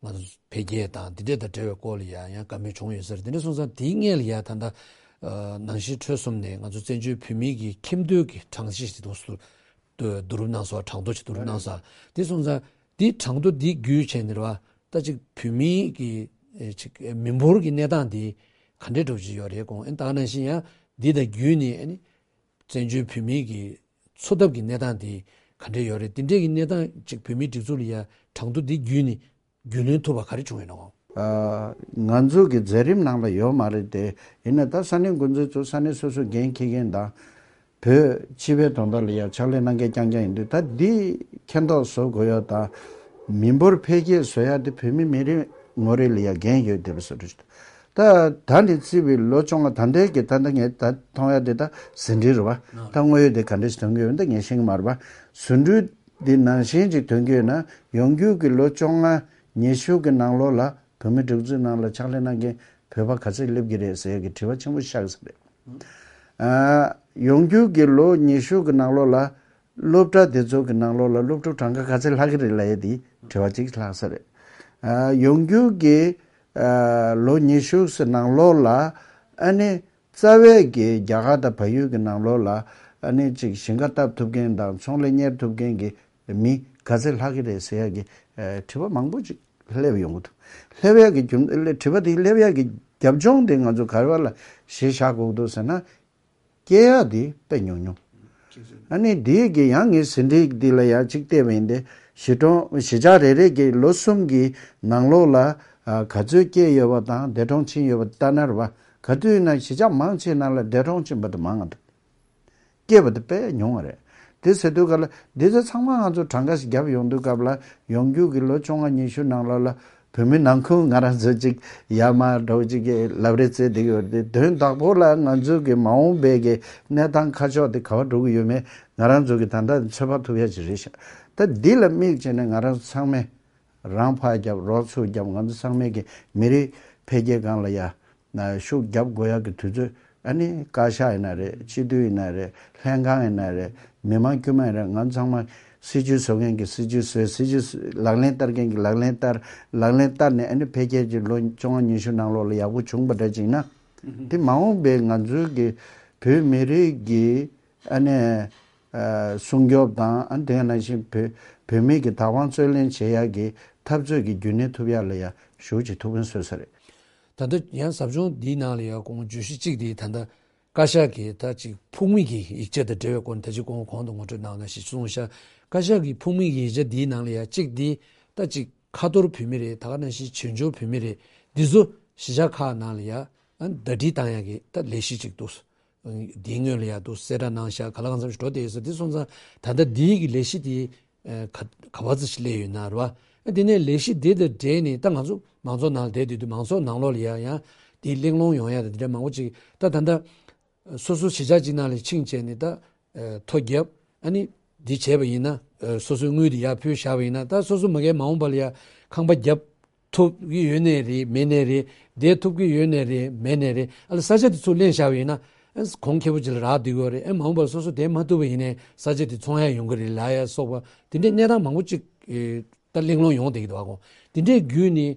ང་ཚོ་འཕེལ་རྒྱས་དང་འདི་འདྲ་དང་འབྲེལ་བའི་སྐོར་ལ་ཡ་ཡང་བཀའ་མོལ་བྱུང་ཡོད་ས་རེད། དེ་འདྲ་སོང་ཙང་དེའི་སྔོན་ལ་ཡ་ད་ལྟ་ནང་བཞིན་ཁྲོད་གསུམ་ནས་ང་ཚོ་བཙན་བྱོལ་བོད་མིའི་གི་ཁྱིམ་སྡོད་ཀྱི་གྲངས་གཞི་ཞིག་འདུག་སུ། བསྡུ་རུབ་གནང་སོང་། གྲངས་ཐོ་ཅིག་བསྡུ་རུབ་གནང་སོང་། དེ་སོང་ཙང་དེ་གྲངས་ཐོ་འདི་བརྒྱུད་བྱས་ནས་རེད་བ། ད་ཅིག་བོད་མིའི་གི་ཨེ་ཅིག་ཨེ་མི་འབོར་གྱི་གནས་སྟངས་འདི་ག་འདྲས་འགྲོ་བཞིན་ཡོད་རེད། གོང་ཨེ་ད་ག་ནང་བཞིན་ཡང་འདི་དང་བརྒྱུད་ནས་ཨ་ནི་བཙན་བྱོལ་བོད་མིའི་གི་འཚོ་ཐབས་ཀྱི་གནས་སྟངས་འདི་ག་འདྲས་ཡོད་རེད། དེ་འདྲས་ཀྱི་གནས་སྟངས་ཅིག་བོད་མིའི་སྒྲིག་འཛུགས་ལ་ཡ་གྲངས་ཐོ་འདི་བརྒྱུད་ནས་རྒྱུས་ལོན་ཐུབ་པ་ག་རེ་བྱུང་ཡོད་ན། གོང་ཨ། ང་ཚོ་གི་མཛད་རིམ་ནང་ལ་ཡོད་མ་རེད་དེ། ཡིན་ན་ད་ས་གནས་འགོ་འཛིན་ཚོ་ས་གནས་སོ་སོ་འགན་འཁྱེར་མཁན་དང་། བོད་སྤྱི་པའི་དོན་དག་ལ་ཡང་ཕྱག་ལས་གནང་མཁན་རྐྱང་རྐྱང་ཡིན་དུས། ད་འདི་མཁྱེན་རྟོགས་བཟོ་དགོས་ཡ་དང་། མི་འབོར་འཕེལ་རྒྱས་བཟོ་ཡ་དེ་བོད་མི་མི་རེ་ངོ་རེ་ལ་ཡང་འགན་ཡོད་བསྡད་པ་བཟོ་འདྲ་ཞིག་འདུག། ད་ད་ནས་བརྩིས་པའི་ལོ་བཅོ་ལྔ་ད་ལྟའི་གི་ད་ལྟ་ངས་ད་མཐོང་ཡ་དེ་ད་ཟིན་བྲིས་རེད་བ། ད་དངོས་ཡོད་དེ་ག་འདྲ་ཞིག་ཐོན་གི་ཡོད་ད་ངས་ཤེས་གི་མ་རེད་བ། ཟིན་བྲིས་འདི་ནང་བཞིན་ཅིག་ཐོན་གི་ཡོད་ན། ཡོང་རྒྱུ་གི་ལོ་བཅོ་ལྔ་ཉི་ཤུ་གི་ནང་ལོགས་ལ་བོད་མི་སྒྲིག་འཛུགས་ནང་ལ་ཕྱག་ལས་གནང་མཁན་བོད་པ་ག་ཚད་སླེབས་ཀྱི་རེད་ཟེར་ཡ་གི་དྲི་བ་ཆེན་པོ་ཆགས་ས་རེད། ཨ། ཡོང་རྒྱུ་གི་ལོ་ཉི་ཤུ་གི་ནང་ལོགས་ལ་སློབ་གྲྭ་དེ་ཚོ་གི་ནང་ལོགས་ལ་སློབ་ཕྲུག་གྲངས་ཀ་ག་ཚད་ལྷག་གི་རེད་ལབ་ཡ་དེ་དྲི་བ་གཅིག་ལྷག་ས་རེད། ཨ། ཡོང་རྒྱུ་གི་ཨ། ལོ་ཉི་ཤུ་གི་ནང་ལོགས་ལ་ཨ་ནི་རྩ་བའི་གི་རྒྱ་གར་དང་བལ་ཡུལ་གི་ནང་ལོགས་ལ་ཨ་ནི་ཅིག་ཞིང་ཁ་བཏབ་ཐུབ་མཁན་དང་ཚོང་ལས་གཉེར་ཐུབ་མཁན་གི་མི་ག་ཚད་ལྷག་གི་རེད་ཟེར་ཡ་གི་ཨ། དྲི་བ་མང་པོ་ཅིག་སླེབས་ཡོང་གི་འདུག། སླེབས་ཡ་གི་རྒྱུ་དྲི་བ་དེ་སླེབས་ཡ་གི་རྒྱབ་ལྗོངས་དེ་ང་ཚོ་ག་རེ་བ་ལ་གཞི་བཞག་དགོས་ཀྱི་འདུག་ཟེར་ན། སྐྱེ་ཡག་དེ་དཔེ་ཉུང་ཉུང་། ཨ་ནི་དེའི་གི་ཡང་ངས་ཟིན་བྲིས་འདི་ལ་ཡང་གཅིག་བལྟས་པ་ཡིན་ཏེ། གཞིས་གྲོང་གཞིས་ཆགས་རེ་རེ་གི་ལོ་གསུམ་གི་ནང་ལོགས་ལ་ཨ། ག་ཚོད་སྐྱེས་ཡོད་པ་དང་འདས་གྲོངས་ཕྱིན་ཡོད་པ་ལྟ་ན་རེད་བ། ག་དུས་ཡིན་ན་གཞིས་ཆགས་མང་ཆེ་ནང་ལ་འདས་གྲོངས་ཕྱིན་པ་དེ་མང་ང་འདུག། སྐྱེས་པ་དེ་དཔེ་ཉུང་བ་རེད། དེ་ཟེར་དུས་ག་ལ་འདི་ཚོ་ཚང་མ་ང་ཚོ་གྲངས་ཀ་ཞིག་བརྒྱབ་ཡོང་དུས་སྐབས་ལ་ཡོང་རྒྱུ་གི་ལོ་བཅོ་ལྔ་ཉི་ཤུ་ནང་ལོགས་ལ་བོད་མི་ནང་ཁུལ་ང་རང་ཚོ་ཅིག་ཡར་མར་འགྲོ་ཅིག་གི་ལབ་རེས་བྱས་བསྡད་ཀྱི་ཡོད་རེད་དེ། དོན་དག་པོ་ལ་ང་ཚོ་གི་མ་འོངས་པའི་གི་གནས་སྟངས་ཁ་ཕྱོགས་དེ་ག་པར་འགྲོ་གི་ཡོད་མེད་ང་རང་ཚོ་གི་ད་ལྟ་ཚོད་དཔག་ཐུབ་ཡ་ཅིག་རེད་ཤག། ད་འདི་ལ་དམིགས་བྱས་ནས་ང་རང་ཚོ་ཚང་མས་རང་ཕར་རྒྱབ་རོགས་ཚུར་རྒྱབ། ང་ཚོ་ཚང་མས་གི་མི་རིགས་འཕེལ་རྒྱས་སྒང་ལ་ཡ་ན་ཤུགས་རྒྱབ་དགོས་ཡག་གི་དུས་ཚོད། ཨ་ནི་བཀའ་ཤག་ཡིན་ན་རེད། སྤྱི་འཐུས་ཡིན་ན་རེད། ལྷན་ཁང་ཡིན་ན་རེད། མི་མང་དཀྱུས་མ་ཡིན་ན་རེད། ང་ཚང་མ་སྲིད་ཇུས་བཟོ་མཁན་གྱིས་སྲིད་ཇུས་བཟོས། སྲིད་ཇུས་བཟོ་ལག་ལེན་བསྟར་མཁན་གྱིས་ལག་ལེན་བསྟར། ལག་ལེན་བསྟར་ནས་ཨ་ནི་འཕེལ་རྒྱས་ཀྱི་ལོ་བཅོ་ལྔ་ཉི་ཤུ་ནང་ལོགས་ལ་ཡག་པོ་བྱུང་བ་འདྲ་ཅིག་ན། དེ་མ་འོངས་པའི་ང་ཚོའི་གི་བོད་མི་རིགས་ཀྱི་ཨ་ནི་ཨ་སྲུང་སྐྱོབ་དང་། ཨ་ནི་དེ་ནང་བཞིན་བོད་བོད་མི་གི་བདག་དབང་རྩོད་ལེན་བྱེད་ཡག་གི་འཐབ་རྩོད་ཀྱི་རྒྱུན་གནས་ཐུབ་ཡག་ལ་ཡང་ཞེ་པོ་ཅིག་ཐུགས་ཕན་གསོས་ས་རེད། ད་ལྟ་ཡང་ཟབ་སྦྱོང་འདིའི་ནང་ལ་ཡང་དགོངས་བརྗོད་གཞི་གཅིག་དེ་ད་ལྟ་བཀའ་ཤག་གིས་ད་ཅིག་ཕུགས་དམིགས་ཀྱི་ཡིག་ཆ་དང་འབྲེལ་བའི་སྐོར་ནས་ད་ཅིག་གོང་གོང་དུ་ངོ་སྤྲོད་གནང་ན་ཞེས་གསུངས་ཤག། བཀའ་ཤག་གི་ཕུགས་དམིགས་ཀྱི་ཡིག་ཆ་འདིའི་ནང་ལ་ཡང་གཅིག་འདི་ད་ཅིག་ཁ་ཐོར་བོད་མི་རེད། ད་ག་ནང་བཞིན་བྱང་ཕྱོགས་བོད་མི་རེད། འདི་ཚོ་གཞིས་ཆགས་ཁག་ནང་ལ་ཡང་ཟླ་སྒྲིལ་བཏང་ཡག་གི་ད་ལས་གཞི་གཅིག་འདུག། འདིའི་སྔོན་ལ་ཡང་འདུག་གསལ་བསྒྲགས་གནང་ཤག། ག་ལ་གང་འཚམ་ཞིག་འགྲོ་བསྡད་ཡོད་ས། འདི་སོང་ཙང་ད་ལྟ་འདིའི་གི་ལས་གཞི་དེ་ཨ་ག་ག་བ་ཙམ་ཞིག་སླེབས་ཡོད་ན་རེད་བ། ཨ་དེ་ནས་ལས་གཞི་དེ་དང་འབྲེལ་ནས་ད་ང་ཚོ་མང་ཚོགས་ནང་ལ་བསྡད་དུས་དུས་མང་ཚོགས་ནང་ལོགས་ལ་ཡང་ཡང་དེ་གླེང་སློང་ཡོང་ཡ་དང་དེ་འདྲ་མང་པོ་ཅིག་ད་ད་ལྟ་སོ་སོ་གཞིས་ཆགས་གཅིག་ནང་ལ་ཕྱིན་བྱས་ནས་ད་ཨ་ཐོ་བརྒྱབ། ཨ་ནི་འདི་བྱས་པ་ཡིན་ན་ཨ་སོ་སོའི་དངུལ་དེ་ཡར་ཕུལ་བཞག་པ་ཡིན་ན། ད་སོ་སོ་མ་གིའི་མ་འོངས་པ་ལ་ཡང་ཁང་པ་བརྒྱབ་ཐུབ་ཀྱི་ཡོད་ནའི་རེད། མེད་ནའི་རེད། བསྡད་ཐུབ་ཀྱི་ཡོད་ནའི་རེད། མེད་ནའི་རེད། ཨ་ལ་ས་ཆ་དེ་ཚུར་ལེན་བཞག་པ་ཡིན་ན་ཨ་གོང་ཁེ་པོ་ཅིག་ལ་རག་བསྡད་ཀྱི་ཡོད་རེད། ཨ་མ་འོངས་པར་སོ་སོ་བསྡད་མ་ཐུབ་པ་ཡིན་ནའི་ས་ཆ་དེ་ཚོང་ཡ་ཡོང་གི་རེད་ལབ་ཡ་སོགས་པ་དེ་འདྲའི་གནས་སྟངས་མང་པོ་ཅིག་ཨེ་ད་གླེང་སློང་ཡོང་བསྡད་ཀྱི་འདུག་ག། གོང་དེ་འདྲའི་བརྒྱུད་ནས་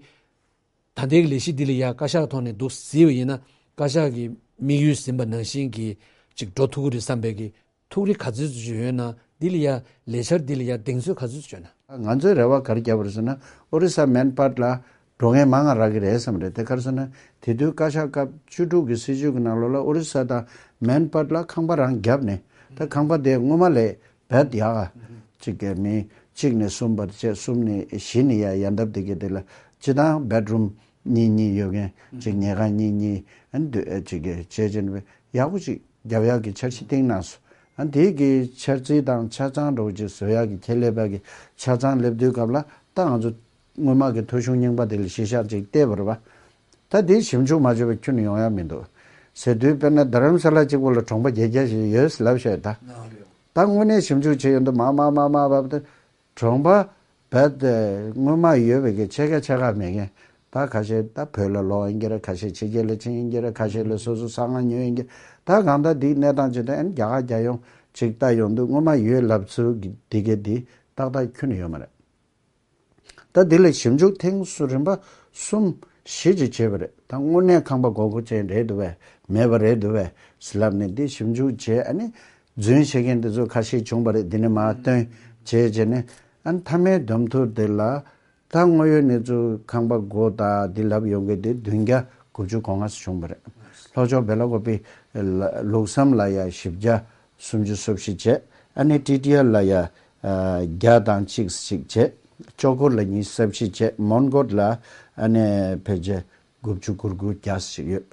ད་ལྟའི་ལས་གཞི་འདི་ལ་ཡ་བཀའ་ཤག་ཐོག་ནས་འདུག་གཟིགས་པ་ཡིན་ན། བཀའ་ཤག་གི་དམིགས་ཡུལ་ཟིན་པ་ནང་བཞིན་གྱི་ཅིག་འགྲོ་ཐུབ་ཀྱི་རེད་བསམ་པའི་གི་ཐུགས་རེ་ག་ཚོད་ཅིག་ཡོད་ན། འདི་ལ་ཡ་ལས་འཆར་འདི་ལ་ཡ་གདེང་ཚོད་ག་ཚོད་ཅིག་ཡོད་ན། ང་ཚོས་རེ་བ་ག་རེ་བརྒྱབ་པ་རེད་ཟེར་ན། ཨོ་རི་ས་མན་པཱད་ལ་འགྲོ་མཁན་མང་ང་རག་གི་རེད་བསམ་རེད། དེ་ག་རེ་ཟེར་ན། དེ་དུས་བཀའ་ཤག་སྐབས་བཅུ་དྲུག་གི་སྲིད་བྱུས་ཀྱི་ནང་ལོགས་ལ་ཨོ་རི་ས་དང་མན་པཱད་ལ་ཁང་པ་རང་བརྒྱབ་ནས། ད་ཁང་པ་དེ་སྔོན་མ་ལས་བེད་ཡག་ག་ཅིག་གི་མི་གཅིག་ནས་གསུམ་བར་བྱས། གསུམ་ནས་བཞི་ནས་ཡར་ཡར་འདབ་དེ་གི་དེ་ལ་སྤྱིར་བཏང་བེད་རུམ་གཉིས་གཉིས་ཡོད་མཁན་ཅིག་ཉལ་ཁང་གཉིས་གཉིས་ཨ་ནི་འདུག་ཨ་ཅིག་གི་བྱས་བྱས་ནས་ཡག་པོ་ཅིག་ རྒྱབ་ཡག་གི་འཆར་གཞི་བཏིང་གནང་སོང་། ཨ་དེ་གི་འཆར་རྩིས་དང་ཆ་ཚང་འདྲ་བོ་ཅིག་བཟོ་ཡག་གི་ཁྱད་ལས་པ་གི་ཆ་ཚང་སླེབས་དུས་སྐབས་ལ་ད་ང་ཚོ་སྔོན་མ་གི་ཐོ་གཞུང་རྙིང་པ་དེ་ལ་གཞི་བཞག་ཅིག་བལྟས་པ་རེད་པ། ད་དེ་ཞིབ་འཇུག་མ་བྱས་པ་ཁྱོན་ནས་ཡོང་ཡག་མི་འདུག་ཟེར་དུས། དཔེར་ན་རྡ་རམ་ས་ལ་གཅིག་པོ་ལ་གྲོང་པ་བརྒྱད་བརྒྱ་ཞིག་ཡོད་ལབ་བཤད་ད། ད་དངོས་གནས་ཞིབ་འཇུག་བྱས་ཡོང་དུས་མ་མ་མ་མ་བབ་དུས། གྲོང་པ་རྦད་དེ་སྔོན་མ་ཡོད་པའི་གི་ཕྱེད་ཀ་ཕྱེད་ཀ་མེད་མཁན། ད་ཁ་ཤས་ད་བོད་ལ་ལོག་ཡིན་གྱི་རེད། ཁ་ཤས་ཕྱི་རྒྱལ་ལ་ཕྱིན་ཡིན་གྱི་རེད། ཁ་ཤས་ལ་སོ་སོ་ས་ང་ཉོས་ཡིན་གྱི། ད་གང་ལྟར་འདིའི་གནས་སྟངས་ཇི་ལྟར་ཨ་ནི་རྒྱ་གར་རྒྱལ་ཡོངས་ཅིག་ལྟ་ཡོང་དུས་སྔོན་མ་ཡོད་ལབ་ཚུལ་གྱི་འདི་གའི་འདི་ཏག་ཏག་ཁྱོན་ནས་ཡོད་མ་རེད། ད་འདི་ལ་ཞིབ་འཇུག་ཐེངས་སུ་རིམ་པ་གསུམ་བཞི་ཅིག་བྱས་པ་རེད། ད་དངོས་གནས་ཁང་པ་དགོས་མཁོ་ཅན་རེད་འདུག་པས་མེད་པ་རེད་འདུག་པས་ལབ་ནས་འདི་ཞིབ་འཇུག་བྱས། ཨ་ནི་རྫུན་བཤད་མཁན་འདི་ཚོ་ཁ་ཤས་བྱུང་བ་རེད། འདི་ནས་མར་བཏོན་བྱས་བྱས་ནས། ཨ་ནི་མཐའ་མའི་བསྡོམས་ཐུབ་དེ་ལ་ད་དངོས་ཡོད་གནས་ཚུལ་ཁང་པ་དགོས་ད་འདི་ལབ་ཡོང་མཁན་དེ་བདུན་བརྒྱ་དགུ་བཅུ་གོ་ལྔ་ཙམ་བྱུང་བ་རེད། ལྷོ་ཕྱོགས་སྦེ་ལ་ཀོ་པི་ལུགས་བསམ་ལ་ཡ་བཞི་བརྒྱ་སུམ་ཅུ་སོ་བཞི་བྱས། ཨ་ནི་ཊི་ཊི་ཨར་ལ་ཡ་བརྒྱ་དང་གཅིག་ཅིག་བྱས། ལྕོག་གུར་ལ་ཉི་ཤུ་རྩ་བཞི་བྱས། མོན་གྷོ་ལ་ཨ་ནི་ཕལ་ཆེར་དགུ་བཅུ་གོ་དགུ་བརྒྱ་ཞིག་ཡོད།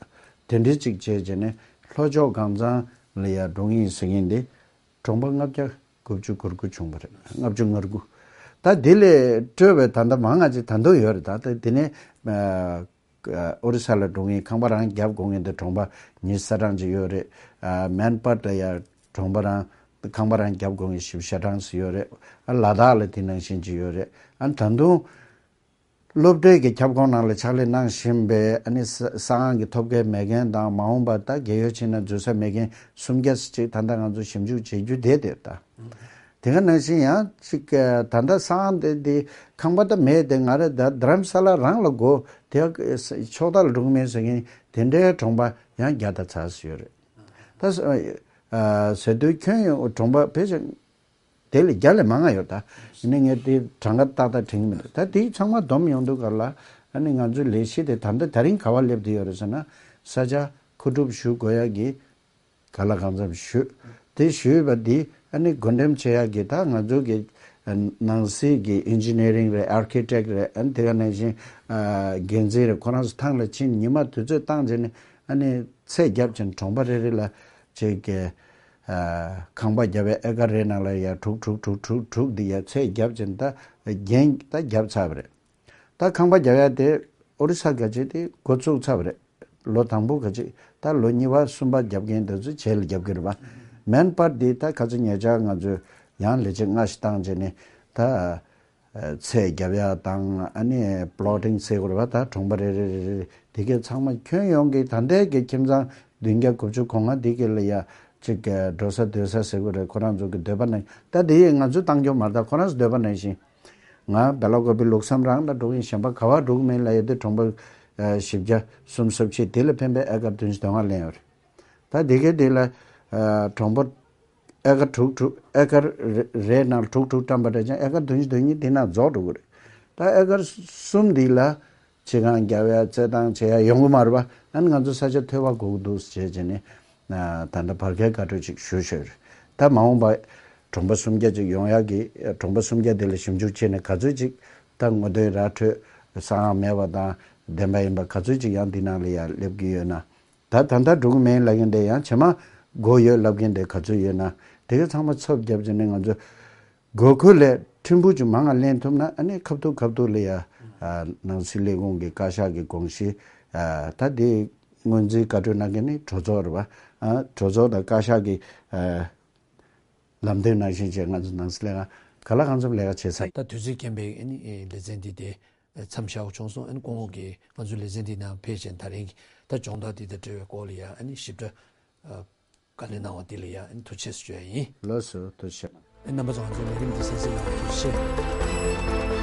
དེ་འདྲའི་ཅིག་བྱས་བྱས་ནས་ལྷོ་ཕྱོགས་སྒང་ཚང་ལ་ཡ་འགྲོ་ངེས་ཟེར་མཁན་དེ་གྲོང་པ་ལྔ་བརྒྱ་དགུ་བཅུ་གོ་དགུ་བྱུང་བ་རེད། ལྔ་བཅུ་ང་དགུ། ད་དེ་ལས་སྤྲོས་པའི་ད་ལྟ་མང་ང་ཅིག་ད་དུང་ཡོད་རེད། ད་ལྟ་དེ་ནས་ཨ་ཨོ་རི་ས་ལ་འགྲོ་མཁན་ཁང་པ་རང་རྒྱབ་དགོས་མཁན་དེ་གྲོང་པ་ཉི་ཤུ་རྩ་གྲངས་ཅིག་ཡོད་རེད། ཨ་མན་པར་ལ་ཡ་གྲོང་པ་རང་ཁང་པ་རང་རྒྱབ་དགོས་མཁན་བཞི་བཅུ་ཞེ་གྲངས་ཅིག་ཡོད་རེད། ཨ་ལ་དྭགས་ལ་དེ་ནང་བཞིན་ཅིག་ཡོད་རེད། ཨ་ད་དུང་སློབ་གྲྭའི་གི་ཁྱབ་ཁོངས་ནང་ལ་ཕྱག་ལས་གནང་བཞིན་པའི་ཨ་ནི་ས་ས་ཁང་གི་ཐོབ་སྐལ་མེད་མཁན་དང་། མ་འོངས་པར་ད་རྒས་ཡོལ་ཕྱིན་ན་འཛུལ་ས་མེད་མཁན་སུམ་བརྒྱ་ཅིག་ད་ལྟ་ང་ཚོ་ཞིབ་འཇུག་བྱེད་རྒྱུ་དེ་དེ་ད། དེ་ག་ནང་བཞིན་ཡང་ཅིག་ད་ལྟ་ས་ཁང་དེ་དེ་ཁང་པ་ད་མེད་དེ། ང་རེ་ད་རྡ་རམ་ས་ལ་རང་ལ་དགོས་དེ་ཕྱོགས་མཐའ་ལ་འགྲོ་གི་མེད་ཟེར་མཁན་དེ་འདྲའི་གྲོང་པ་ཡང་བརྒྱ་དང་ཚ་ཙམ་ཡོད་རེད། ད་ཟེར་དུས་ཁྱོན་ཡོངས་གྲོང་པ་ཕལ་ཆེར་དེ་ལས་བརྒྱ་ལས་མང་ང་ཡོད། ད་ཡིན་ནའི་ངས་དེ་གྲངས་ཀ་ཏག་ཏག་དྲན་གྱི་མི་འདུག་ད་དེ་ཚང་མ་བསྡོམས་ཡོང་དུས་སྐབས་ལ་ཨ་ནི་ང་ཚོའི་ལས་གཞི་དེ་ད་ལྟ་དེ་རིང་ག་པར་སླེབས་བསྡད་ཡོད་རེད་ཟེར་ན། ས་ཆ་མཁོ་སྒྲུབ་ཞུ་དགོས་ཡག་གི་ག་ལ་གང་འཚམ་ཞུས། དེ་ཞུས་པ་འདི་ཨ་ནི་བགོ་འགྲེམས་བྱེད་ཡག་གི་ད་ང་ཚོ་གི་ནང་སྲིད་ཀྱི་ཨིན་ཇི་ནི་ཡ་རིང་རེད། ཨར་ཁི་ཊེག་རེད། ཨ་ནི་དེ་ག་ནང་བཞིན་འགན་འཛིན་རེད། ཁོ་རང་ཚོ་ཐང་ལ་ཕྱིན། ཉི་མ་དུས་ཚོད་བཏང་བྱས་ནས་ཨ་ནི་ཚད་བརྒྱབ་བྱས་ནས་གྲོང་པ་རེ་རེ་ལ་ཅིག་གི་ཁང་པ་བརྒྱབ་པའི་ཨེ་ཀར་རེ་ནང་ལ་ཡ་དྲུག་དྲུག་དྲུག་དྲུག་དྲུག་འདི་ཡ་ཚད་བརྒྱབ་བྱས་ནས་ད་འགན་ད་བརྒྱབ་ཚར་བ་རེད། ད་ཁང་པ་རྒྱག་ཡ་དེ་ཨོ་རི་ས་ག་ཅིག་དེ་འགོ་བཙུགས་ཚར་བ་རེད། ལོ་དང་པོ་ག་ཅིག་ད་ལོ་གཉིས་པ་གསུམ་པ་རྒྱབ་མཁན་དེ་ཚོ་རྗེས་ལ་རྒྱབ་ཀྱི་རེད་པ། མན་པར་འདི་ད་ཁ་ཚ་ཉེ་ཆར་ང་ཚོས་ཡང་ལས་བྱེད་ལྔ་ཞིག་བཏང་བྱས་ནས་ད་ཚད་རྒྱབ་ཡ་དང་། ཨ་ནི་པི་ལོ་ཊིང་ཟེར་དགོས་རེད་པ། ད་གྲོང་པ་རེ་རེ་རེ་རེ་དེ་གས་ཚང་མ་ཁྱོན་ཡོངས་ཀྱི་ད་ལྟའི་གི་ཁྱིམ་ཚང་བདུན་བརྒྱ་དགུ་བཅུ་གོ་ལྔ་དེ་གས་ལ་ཡ་ཅིག་གི་འགྲོ་ས་སྡོད་ས་ཟེར་དགོས་རེད། ཁོ་རང་ཚོ་གི་འདོད་པ་ནང་། ད་དེ་ཡིས་ང་ཚོས་བཏང་རྒྱུ་མ་རེད། ད་ཁོ་རང་ཚོ་འདོད་པ་ནང་བཞིན། ང་སྦེ་ལ་ཀོ་པི་ལུགས་བསམ་རང་ལ་འགྲོ་གི་ཡིན། གཞན་པ་ག་པར་འགྲོ་གི་མིན་ལབ་ཡོད་དུས་གྲོང་པ་ཨ་བཞི་བརྒྱ་སུམ་ཅུ་སོ་བཞི་དེ་ལ་ཕན་པའི་ཨེ་ཀར་བདུན་ཅུ་དོན་ལྔ་ལེན་ཡོད་རེད། ད་དེ་གའི་དེ་ལ་ཨ་གྲོང་པ་ཨེ་ཀར་དྲུག་དྲུག་ཨེ་ཀར་རེ་རེའི་ནང་དྲུག་དྲུག་བཀྲམ་པ་འདྲ་ཅང་ཨེ་ཀར་བདུན་ཅུ་དོན་གཉིས་དེ་ནང་རྫོགས་འགྲོ་གི་རེད། ད་ཨེ་ཀར་གསུམ་འདི་ལ་ཕྱི་ཁང་རྒྱབ་ཡ་རྩེད་ཐང་བྱེད་ཡ་ཡོང་གི་མ་རེད་པ། ཨ་ནི་ང་ཚོ་ས་ཆ་ཐོལ་པ་དགོས་ཀྱི་འདུག་ཟེར་བྱས་ནས་ད་ལྟ་བར་བརྒལ་བཀའ་འཁྲོལ་ཅིག་ཞུས་ཞུས་རེད། ད་མ་འོངས་པ་གྲོང་པ་སུམ་བརྒྱ་ཅིག་ཡོང་ཡག་གི། གྲོང་པ་སུམ་བརྒྱ་དེ་ལ་ཞིབ་འཇུག་བྱས་ནས་ག་ཚོད་ཅིག་ད་ངོ་དེབ་ར་འཕྲོད་ས་ཡང་མེད་པ་དང་བདེན་པ་ཡིན་པ་ག་ཚོད་ཅིག་ཡང་འདི་ནང་ལ་ཡང་སླེབས་ཀྱི་ཡོད་ན། ད་ད་ལྟ་འགྲོ་གི་མེད་ལབ་མཁན་དེ་ཡང་རྗེས་མ་དགོས་ཡོད་ལབ་མཁན་དེ་ག་ཚོད་ཡོད་ན། དེ་ག་ཚང་མ་ཚབ་བརྒྱབ་བྱས་ནས་ང་ཚོ་དགོས་མཁོ་ལས་ཕྲན་བུ་ཅིག་མང་ང་ལེན་ཐུབ་ན། ཨ་ནི་ཁ་ཐུག་ཁ་ཐུག་ལ་ཡ་ཨ་ནང་སྲིད་ལས་ཁུངས་ཀྱི་བཀའ་ཤག་གི་དགོངས་གཞི། ཨ་ད་དེ་སྔོན་རྩིས་བཀའ་འཁྲོལ་གནང་མཁན་ནི་གྲོས་ཚོགས་རེད་པ། ཨ་གྲོས་ཚོགས་དང་བཀའ་ཤག་གི་ཨ་ལམ་སྟོན་ནང་བཞིན་བྱས་ང་ཚོ་ནང་སྲིད་ལས་ཁང་ག་ལ་གང་འཚམ་ལས་ཀ་བྱེད་ས་ཡིན། ད་དུས་ཚོད་རྐྱེན་པས་ཨ་ནི་ལེ་ཚན་འདི་དེ་མཚམས་བཞག་དགོས་བྱུང་སོང་། ཨ་ནི་སྐུ་ངོ་གིས་ང་ཚོའི་ལེ་ཚན་འདི་ནང་ཕེབས་བྱས་ད་རིང་གི་ད་སྦྱོང་བརྡར་འདི་དང་འབྲེལ་བའི་སྐོར་ལ་ཡ་ཨ་ནི་ཞིབ་ཕྲ་ཨ་བཀའ་ལན་གནང་བ་འདི་ལ་ཡ་ཨ་ནི་ཐུགས་རྗེ་ཆེ་ཞུ་ཡ་ཡིན། ལགས་སོ། ཐུགས་རྗེ་ཆེ། ཨ་ནི་རྣམ་པ་ཚོ་ང་ཚོའི་ལས་རིམ་འདི་གསན་གཟིགས་གནང་བར་ཐུགས་རྗེ་ཆེ།